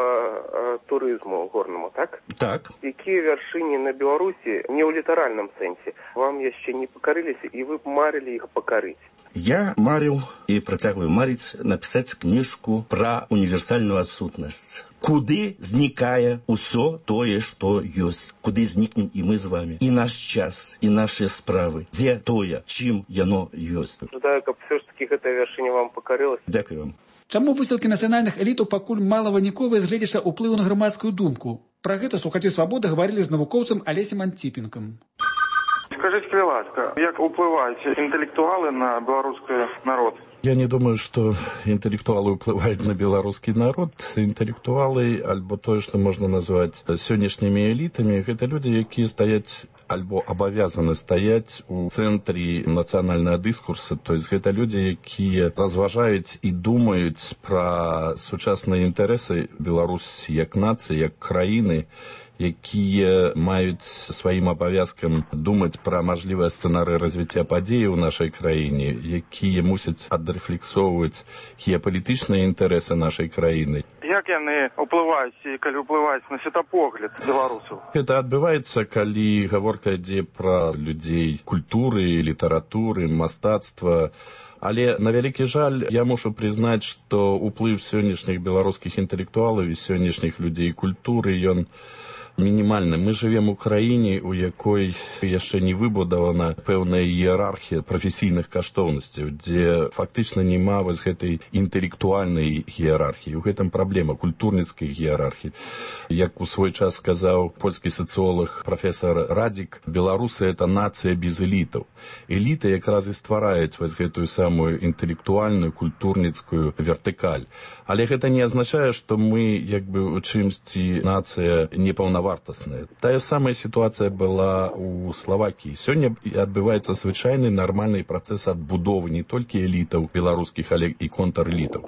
турызму горнаму, так? Так. Якія вяршыні на Беларусі не ў літаральным сэнсе вам яшчэ не пакарыліся, і вы б марылі іх пакарыць? Я марил и протягиваю марить написать книжку про универсальную сутнасць. Куды знікае ўсё тое, што ёсць. Куды знікнем і мы з вами. І наш час, і нашыя справы. Дзе тое, чым яно ёсць. Жадаю, каб все ж таки гэтая вяршыня вам пакарылася. Дзякую вам. Чаму высылкі нацыянальных элітаў пакуль мала выніковыя з гледзяча ўплыву на грамадскую думку? Пра гэта слухачы свабоды гаварылі з навукоўцам Алесем Антипенком. Скажите, будь ласка, як уплывают интеллектуалы на белорусский народ? Я не думаю, что интеллектуалы уплывают на белорусский народ. Интеллектуалы, альбо то, что можно назвать сённяшнімі элитами, это люди, якія стаяць альбо абавязаны стаяць у цэнтры нацыянальнага дыскурса. То есть гэта люди, якія разважаюць і думаюць пра сучасныя інтарэсы Беларусі як нацыі, як краіны, якія маюць сваім абавязкам думаць пра мажлівыя сцэнарыі развіцця падзей у нашай краіне, якія мусяць адрэфлексоўваць геапалітычныя інтарэсы нашай краіны. Як яны ўплываюць, і калі ўплываюць на светапогляд беларусаў? Гэта адбываецца, калі гаворка ідзе пра людзей культуры, літаратуры, мастацтва. Але, на вялікі жаль, я мушу прызнаць, што ўплыў сённяшніх беларускіх інтэлектуалаў і сённяшніх людзей культуры, ён мінімальны. Мы жывем у краіне, у якой яшчэ не выбудавана пэўная іерархія прафесійных каштоўнасцяў, дзе фактычна няма вось гэтай інтэлектуальнай іерархіі. У гэтым праблема культурніцкай іерархіі. Як у свой час сказаў польскі сацыолог прафесор Радзік, беларусы — это нацыя без элітаў. Эліты якраз і ствараюць вось гэтую самую інтэлектуальную, культурніцкую вертыкаль. Але гэта не азначае, што мы як бы у чымсьці нацыя непаўнавартая паўнавартасныя. Тая самая сітуацыя была ў Славакіі. Сёння адбываецца звычайны нармальны працэс адбудовы не толькі элітаў беларускіх, але і контрэлітаў.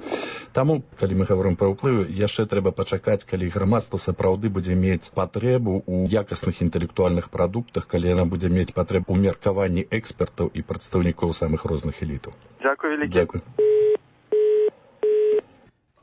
Таму, калі мы гаворым пра ўплывы, яшчэ трэба пачакаць, калі грамадства сапраўды будзе мець патрэбу ў якасных інтэлектуальных прадуктах, калі яна будзе мець патрэбу ў меркаванні экспертаў і прадстаўнікоў самых розных элітаў. Дзякуй вялікі. Дзякуй.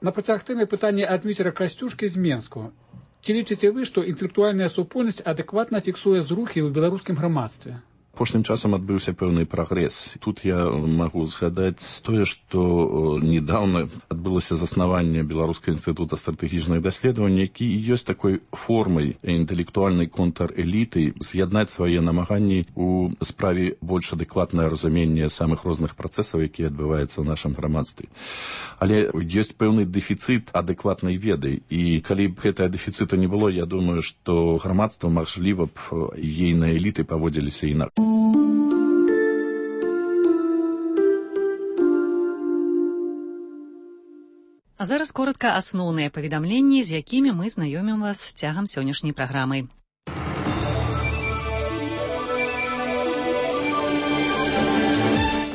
На працяг тэмы пытання ад Дмітра Касцюшкі з Менску. Ці лічыце вы, што інтэлектуальная супольнасць адэкватна фіксуе зрухі ў беларускім грамадстве? Апошнім часам адбыўся пэўны прагрэс. Тут я магу згадаць тое, што недавно адбылося заснаванне Беларускага інстытута стратэгічных даследаванняў, які ёсць такой формай інтэлектуальнай контрэліты з'яднаць свае намаганні ў справе больш адэкватнае разуменне самых розных працэсаў, якія адбываюцца ў нашым грамадстве. Але ёсць пэўны дэфіцыт адэкватнай веды, і калі б гэтага дэфіцыту не было, я думаю, што грамадства, магчыма б, ейныя эліты паводзіліся інакш. А зараз коротка асноўныя паведамленні, з якімі мы знаёмім вас цягам сённяшняй праграмы.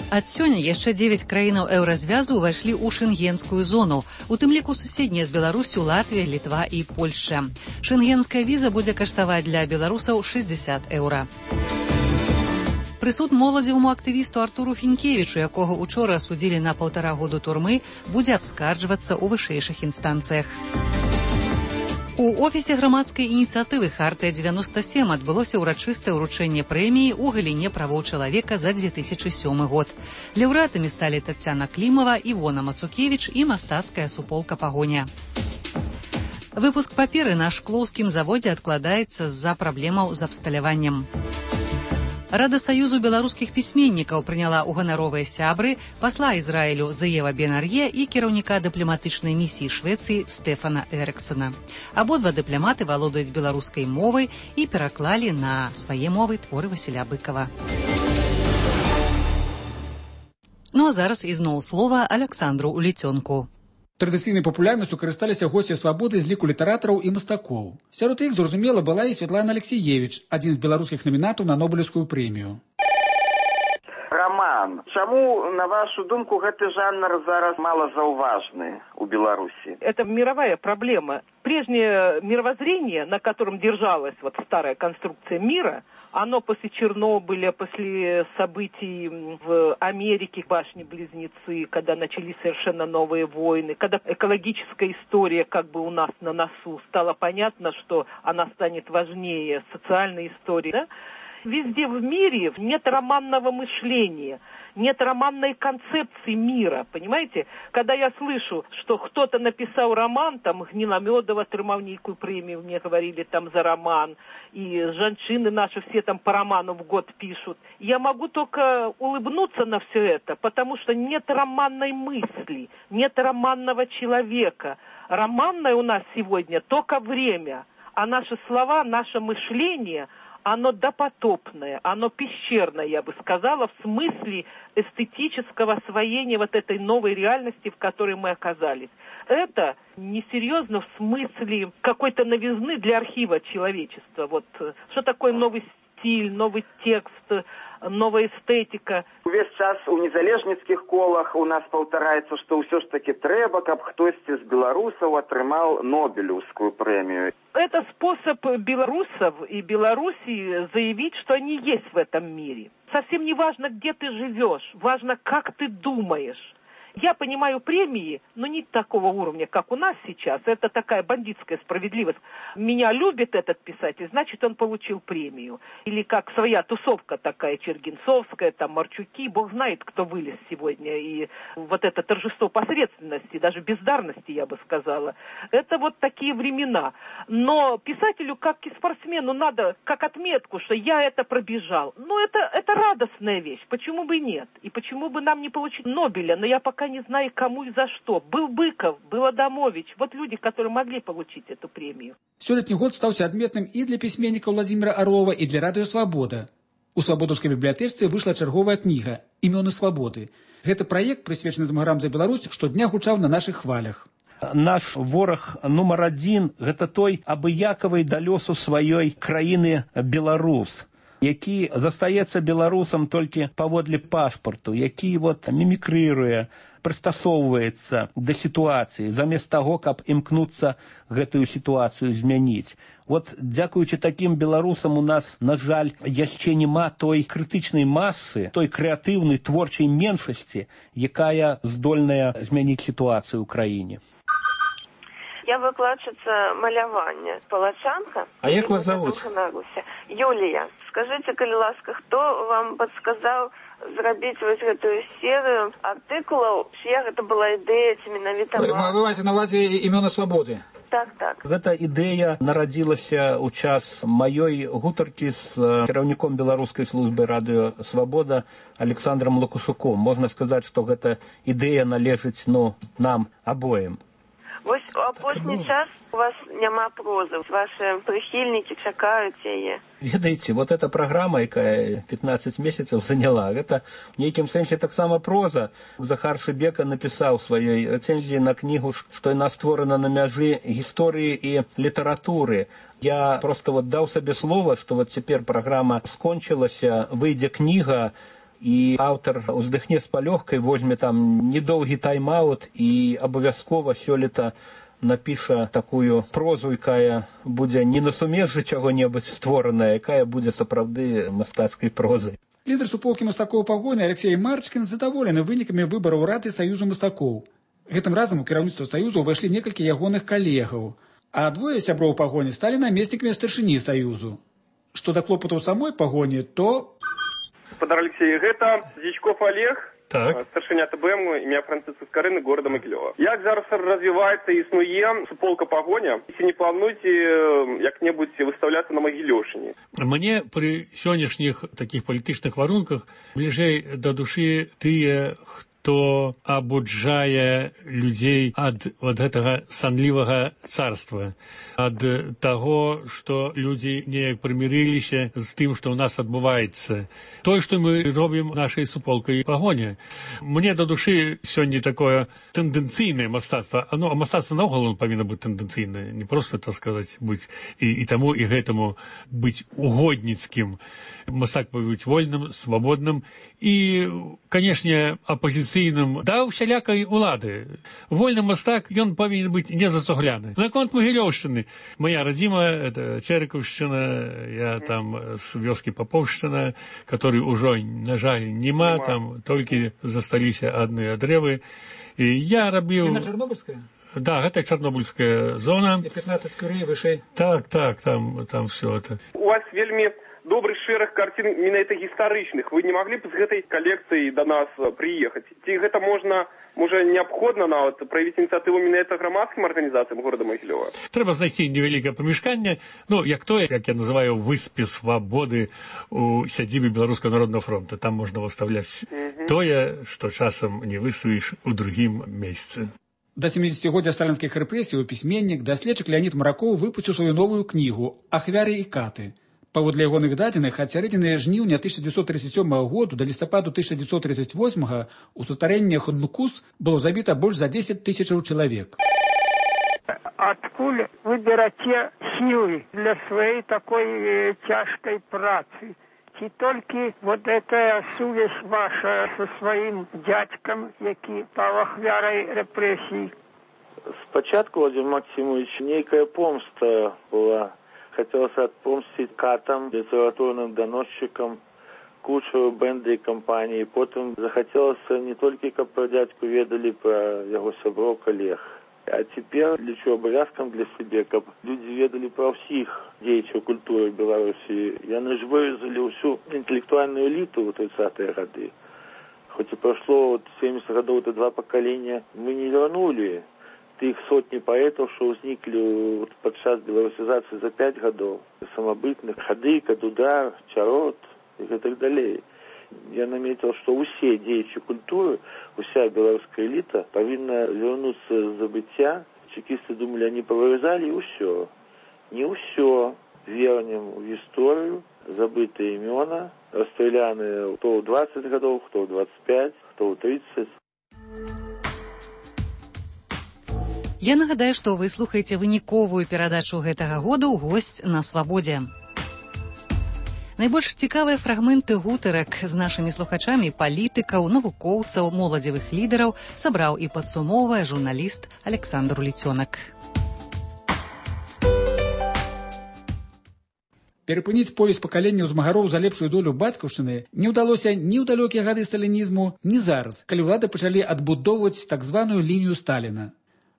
Ад сёння яшчэ 9 краінаў еўразвязу ўвайшлі ў шэнгенскую зону, у тым ліку суседнія з Беларусю Латвія, Літва і Польшча. Шэнгенская віза будзе каштаваць для беларусаў 60 еўра. Прысуд моладзеваму актывісту Артуру Фінкевічу, якога учора асудзілі на 1,5 года турмы, будзе абскарджвацца ў вышэйшых інстанцыях. У офісе грамадскай ініцыятывы «Хартыя-97» адбылося ўрачыстае ўручэнне прэміі ў галіне правоў чалавека за 2007 год. Лаўрэатамі сталі Таццяна Клімава, Івона Мацукевіч і мастацкая суполка «Пагоня». Выпуск паперы на шклоўскім заводзе адкладаецца з-за праблемаў з абсталяваннем. Рада Саюзу беларускіх пісьменнікаў прыняла ў ганаровыя сябры пасла Ізраілю Зеева Бен-Ар'е і кіраўніка дыпламатычнай місіі Швецыі Стэфана Эрыксона. Абодва дыпламаты валодаюць беларускай мовай і пераклалі на свае мовы творы Васіля Быкава. Ну а зараз ізноў слова Аляксандру Уліцёнку. Традыцыйнай папулярнасцю карысталіся госці свабоды з ліку літаратараў і мастакоў. Сярод іх, зразумела, была і Святлана Алексіевіч, адзін з беларускіх намінантаў на Нобелеўскую прэмію. Роман, чаму, на вашу думку, гэты жанр зараз малозауважны у Беларуси? Это мировая проблема. Прежнее мировоззрение, на котором держалась вот старая конструкция мира, оно после Чернобыля, после событий в Америке, башни-близнецы, когда начались совершенно новые войны, когда экологическая история как бы у нас на носу, стало понятно, что она станет важнее социальной истории, да? Везде в мире нет романного мышления, нет романной концепции мира, понимаете? Когда я слышу, что кто-то написал роман, там Гниломедов отрымал некую премию, мне говорили там за роман, и женщины наши все там по роману в год пишут, я могу только улыбнуться на все это, потому что нет романной мысли, нет романного человека. Романное у нас сегодня только время, а наши слова, наше мышление – оно допотопное, оно пещерное, я бы сказала, в смысле эстетического освоения вот этой новой реальности, в которой мы оказались. Это несерьезно в смысле какой-то новизны для архива человечества. Вот что такое новый стиль, новый текст, новая эстетика. Увесь час у незалежніцкіх колах у нас паўтараецца, што ўсё ж таки трэба, каб хтосьці з беларусаў атрымаў Нобелевскую премию. Это способ белорусов и Белоруссии заявить, что они есть в этом мире. Совсем не важно, где ты живешь, важно, как ты думаешь. Я понимаю премии, но не такого уровня, как у нас сейчас. Это такая бандитская справедливость. Меня любит этот писатель, значит, он получил премию. Или как своя тусовка такая, Чергинцовская, там, Марчуки. Бог знает, кто вылез сегодня. И вот это торжество посредственности, даже бездарности, я бы сказала. Это вот такие времена. Но писателю, как и спортсмену, надо как отметку, что я это пробежал. Ну, это радостная вещь. Почему бы и нет? И почему бы нам не получить Нобеля? Но я пока не знаю, кому и за что. Был Быков, был Адамович. Вот люди, которые могли получить эту премию. Сёлетні год стаўся адметным і для пісьменніка Владзіміра Арлова, і для радыё «Свабода». У свабодаўскай бібліятэчцы выйшла чарговая кніга «Імёны свабоды». Гэта праект, прысвечаны змагарам за Беларусь, штодня гучаў на нашых хвалях. наш вораг нумар адзін – гэта той абыякавы да лёсу сваёй краіны беларус, які застаецца беларусам толькі паводле пашпарту, які мімікрыруе, прыстасоўваецца да сітуацыі, замест таго, каб імкнуцца гэтую сітуацыю змяніць. Дзякуючы такім беларусам у нас, на жаль, яшчэ няма той крытычнай масы, той крэатыўнай творчай меншасці, якая здольная змяніць сітуацыю ў краіне. Я выкладчица малявання, палачанка. А як вас зовут? Юлія. Скажите, калі ласка, хто вам подсказал зрабіць гэтую серыю артыкулаў, чья гэта была ідэя, ці менавіта вам? Вы маеце на увазе імёны свабоды? Так. Гэта ідэя нарадзілася ў час маёй гутаркі з кіраўніком беларускай службы радыё «Свабода» Александром Лукасуком. Можна сказаць, што гэта ідэя належыць нам абоім. Вось у апошні час у вас няма прозы, ваши прыхільнікі чакаюць яе. Ведаеце, эта праграма, якая 15 месяцаў заняла, гэта в нейкім сэнсе таксама проза. Захар Шыбека напісаў у сваёй рэцэнзіі на кнігу, што яна створана на мяжы гісторыі і літаратуры. Я просто даў сабе слова, што цяпер праграма скончылася, выйдзе кніга, і аўтар уздыхне з палёгкай, возьме там недоўгі тайм-аут і абавязкова сёлета напіша такую прозу, якая будзе не на сумежжы чаго-небудзь створаная, якая будзе сапраўды мастацкай прозай. Лідар суполкі мастакоў пагоні Алексей Марчкін задаволены вынікамі выбараў рады Саюзу мастакоў. Гэтым разам у кіраўніцтва Саюзу ўвайшлі некалькі ягоных калегаў, а двое сяброў пагоні сталі намеснікамі старшыні Саюзу. Што да клопатаў самой пагоні, то... Господар Алексей, гэта Зічков Олег, старшыня ТБМ, імя Францыска Скарыны, города Магілёва. Як зараз развіваецца і існуе суполка пагоня, ці не плануеце як-небудзь выстаўляцца на Магілёўшчыне? Мне пры сённяшніх такіх палітычных варунках бліжэй да душы тыя, хто абуджае людзей ад гэтага санлівага царства, ад таго, што людзі неяк прымірыліся з тым, што ў нас адбываецца. Тое, што мы робім нашай суполкай пагоня. Мне да душы сёння такое тэндэнцыйнае мастацтва. А мастацтва наогул павінна быць тэндэнцыйнае, не проста, так сказаць, быць і таму, і гэтаму быць угодніцкім. Мастак павінен быць вольным, свабодным і, канешне, апазіцыйным да ўсялякай улады. Вольны мастак, ён павінен быць незацугляны. Наконт Магілёўшчыны. Моя радзіма, это Чэрыкаўшчына, я там з вёскі Папоўшчына, который ўжо, на жаль, няма, там толькі засталіся адныя дрэвы. І я рабіў... Яна Чарнобыльская? Да, гэта Чарнобыльская зона. 15 курей вышэй. Так, там все это. У вас вельмі добрый шэраг карцін менавіта гістарычных. Вы не маглі б з гэтай калекцыяй да нас прыехаць? Ці гэта можа неабходна нават праявіць ініцыятыву менавіта грамадскім арганізацыям горада Магілёва? Трэба знайсці невялікае памяшканне, як я называю, выспе свабоды у сядзібе Беларускага народнага фронта. Там можна выставляць тое, што часам не выставіш у другім месцы. Да 70-годдзя сталінскіх рэпрэсій пісьменнік, даследчык Леонід Маракоў выпусціў сваю новую кнігу «Ахвяры і каты». Паводле ягоных дадзеных, ад сярэдзіны жніўня 1937 году да лістападу 1938 у сутарэннях Нукус было забіта больш за 10 тысячаў чалавек. Адкуль вы бераце сілы для сваёй такой цяжкай працы? Ці толькі эта сувязь ваша со сваім дзядзькам, які паў ахвярай рэпрэсій? Спачатку, Владимир Максимович, нейкая помста была. Хотелось отпомстить катам, литературным доносчикам, кучеру бенды и компании. Потом захотелось не только, как про дядьку ведали, про его сяброў коллег. А теперь лечу обовязком для себя, как люди ведали про всех деятелей культуры Беларуси. Яны ж вырезали всю интеллектуальную элиту в 30-е годы. Хоть и прошло 70 годов, это 2 поколения, мы не вернули тых сотні паэтаў, што ўзніклі падчас беларусізацыі за 5 гадоў, самабытных, Хадыка, Дудар, Чарот і гэтак далей. Я наметил, што ўсе дзеячы культуры, уся беларуская эліта павінна вярнуцца з забыцця. Чекісты думалі, они повырезали, і ўсё. Не ўсё. Вернем у гісторыю забытыя імёна, расстраляныя хто ў 20 гадоў, хто ў 25, хто ў 30. Я нагадаю, што вы слухаеце выніковую перадачу гэтага года ў госць на свабодзе. Найбольш цікавыя фрагменты гутарак з нашымі слухачамі палітыкаў, навукоўцаў, моладзевых лідараў сабраў і падсумоўвае журналіст Александр Уліцёнак. Перапыніць повесь пакаленняў змагароў за лепшую долю бацькаўшчыны не ўдалося ні ў далёкія гады сталінізму, ні зараз, калі ўлады пачалі адбудоўваць так званую лінію Сталіна.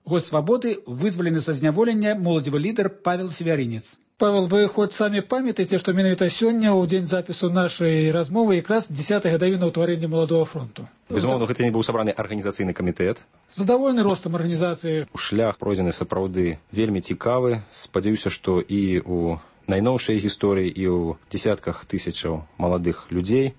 Госць свабоды вызвалены са зняволення моладзевы лідар Павел Севярінец. Павел, вы хоць самі памятаеце, што менавіта сёння ў дзень запісу нашай размовы якраз 10-я гадавіна ўтварэння Маладога фронту. Безумоўна, гэта не быў сабраны арганізацыйны камітэт. Задаволены ростам арганізацыі. Шлях пройдзены сапраўды вельмі цікавы. Спадзяюся, што і ў найноўшай гісторыі, і ў дзесятках тысячаў маладых людзей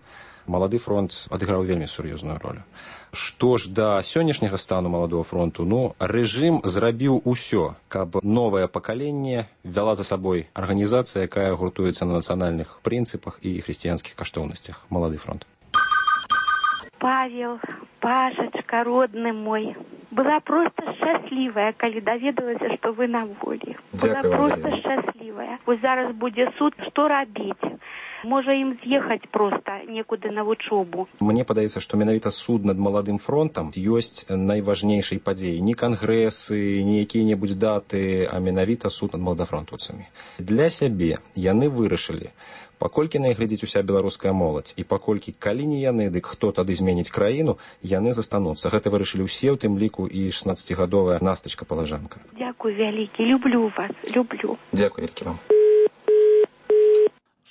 Малады фронт адыграў вельмі сур'ёзную ролю. Што ж да сённяшняга стану Маладога фронту, рэжым зрабіў усё, каб новае пакаленне вяла за сабой арганізацыя, якая гуртуецца на нацыянальных прынцыпах і хрысціянскіх каштоўнасцях. Малады фронт. Павел, Пашачка, родны мой, была проста шчаслівая, калі даведалася, што вы на волі. Была проста шчаслівая. Вось зараз будзе суд, што рабіць? Можа ім з'ехаць проста некуды на вучобу. Мне падаецца, што менавіта суд над Маладым фронтам ёсць найважнейшай падзеяй. Не кангрэсы, не якія-небудзь даты, а менавіта суд над маладафронтаўцамі. Для сябе яны вырашылі, паколькі на іх глядзіць уся беларуская моладзь, і паколькі калі не яны, дык хто тады зменіць краіну, яны застануцца. Гэта вырашылі ўсе, у тым ліку і 16-гадовая Настачка Палажанка. Дзякуй вялікі, люблю вас, люблю. Дзякуй вялікі вам.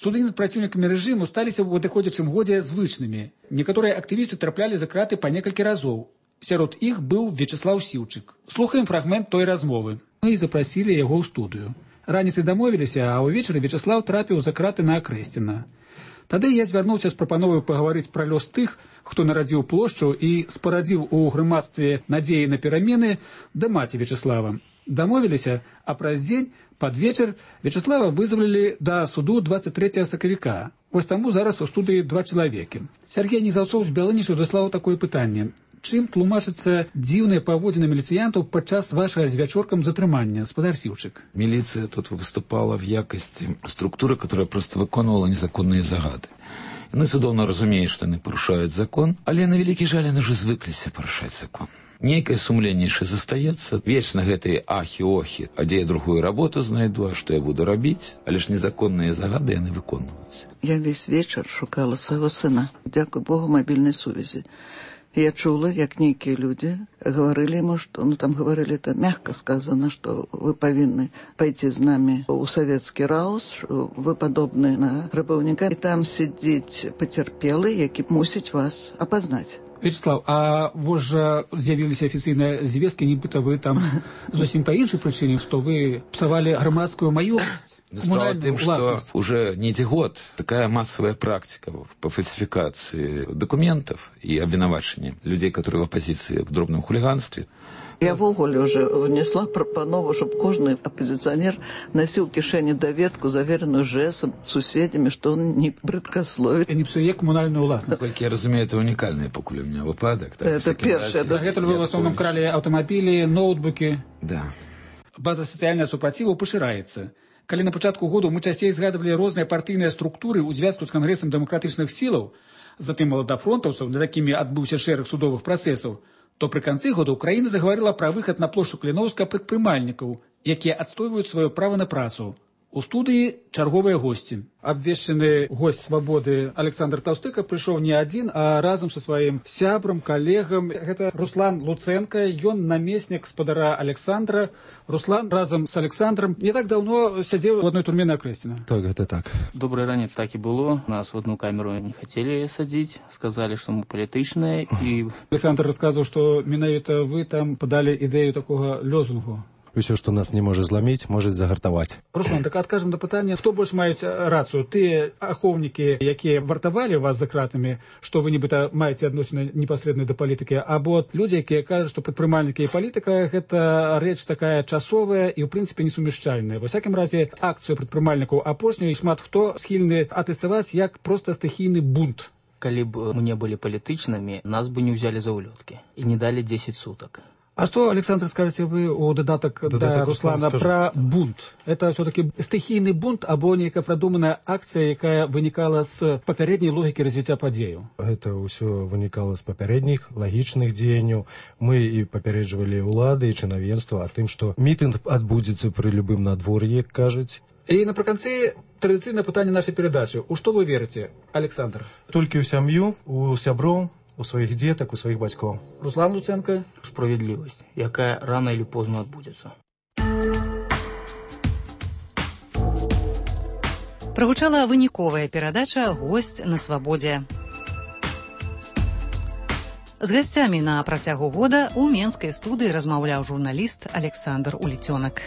Суды над праціўнікамі рэжыму сталіся ў адыходзячым годзе звычнымі. Некаторыя актывісты траплялі за краты па некалькі разоў. Сярод іх быў Вячеслаў Сіўчык. Слухаем фрагмент той размовы. Мы запрасілі яго ў студыю. Раніцай дамовіліся, а ўвечары Вячеслаў трапіў за краты на Акрэсціна. Тады я звярнуўся з прапановай пагаварыць пра лёс тых, хто нарадзіў плошчу і спарадзіў у грамадстве надзеі на перамены да маці Вячеслава. Дамовіліся, а праз дзень, пад вечар, Вячеслава вызвалілі да суду 23 сакавіка. Вось таму зараз у студыі 2 чалавекі. Сяргей Незаўцоў з Бялынічу даслаў такое пытанне. Чым тлумачыцца дзіўныя паводзіны міліцыянтаў падчас вашага з вячоркам затрымання, спадар Сіўчык? Милиция тут выступала в якости структуры, которая просто выконывала незаконные загады. Яны цудоўна разумеюць, што яны парушаюць закон, але на вялікі жаль яны ўжо звыкліся парушаць закон. Нейкае сумленне яшчэ застаецца, вечна гэтыя ахі-охі, а дзе я другую работу знайду, а што я буду рабіць, але ж незаконныя загады яны выконваюць. Я весь вечар шукала свайго сына, дзякуй Богу, мабільнай сувязі. Я чула, як нейкія людзі говорили ему, что, там говорили это мягко сказано, что вы повинны пойти с нами у советский раус, что вы подобны на рабовника, и там сидеть потерпелый, які мусить вас опознать. Вячеслав, а вось жа з'явіліся афіцыйныя звесткі, нібыта вы там зусім па іншай прычыне, што вы псавалі грамадскую маёмасць. Справа тым, что уже не год такая массовая практика по фальсификации документов и обвинувачения людей, которые в оппозиции в дробном хулиганстве. Я в уголе уже внесла пропанову, чтобы каждый оппозиционер носил в кишени доведку, заверенную ЖЭСом, суседями, что он не брыдкословит. И не псуе коммунальную властность. Как я разумею, это уникальный покуль у меня выпадок. Это первое. Это вы в основном крали автомобили, ноутбуки. Да. База социального супротиву поширается. Калі на пачатку году мы часцей згадывалі розныя партыйныя структуры ў звязку з кангрэсам дэмакратычных сілаў, затым маладафронтаўцаў, над якімі адбыўся шэраг судовых працэсаў, то пры канцы года Украіна загаварыла пра выхад на плошчу Кліноўска прадпрымальнікаў, якія адстойваюць сваё права на працу. У студыі чарговыя госці. Абвешчаны госць свабоды Александр Таўстыка прыйшоў не адзін, а разам са сваім сябрам, калегам. Гэта Руслан Луценко, ён намеснік спадара Александра. Руслан разам з Александром не так даўно сядзеў у адной турме на Акрэсціна. Так, гэта так. Добрый ранец так і было. Нас в одну камеру не хацелі садзіць, сказалі, што мы палітычныя. І... Александр расказваў, што менавіта вы там падалі ідэю такога лозунгу. Усё, што нас не можа зламіць, можа загартаваць. Руслан, так адкажам да пытання, хто больш маюць рацыю? Тыя ахоўнікі, якія вартавалі вас за кратамі, што вы нібыта маеце адносіны непасрэдна да палітыкі, або людзі, якія кажуць, што прадпрымальнікі і палітыка гэта рэч такая часовая і ў прынцыпе несумяшчальная. Ва всякім разе акцыю прадпрымальнікаў апошняй шмат хто схільны атэставаць як проста стыхійны бунт. Калі б мы не былі палітычнымі, нас бы не ўзялі за ўлёткі і не далі 10 сутак. А что, Александр, скажете вы у додаток да Руслана про бунт? Это все-таки стихийный бунт або некая продуманная акция, якая вынікала з папярэдняй логікі развіцця падзеяў? Это ўсё вынікала з папярэдніх лагічных дзеянняў. Мы і папярэджвалі ўлады і чынавенства о тым, што мітынг адбудзецца пры любым надвор'і, як кажуць. І напрыканцы традыцыйнае пытанне нашай перадачы. У што вы верыце, Александр? Толькі ў сям'ю, у сяброў, у своих деток, у своих бацькоў. Руслан Луценко. Справедливость, якая рано или поздно отбудется. Прагучала выніковая перадача «Госць на свабодзе». З гасцямі на працягу года ў менскай студыі размаўляў журналіст Александр Уліцёнак.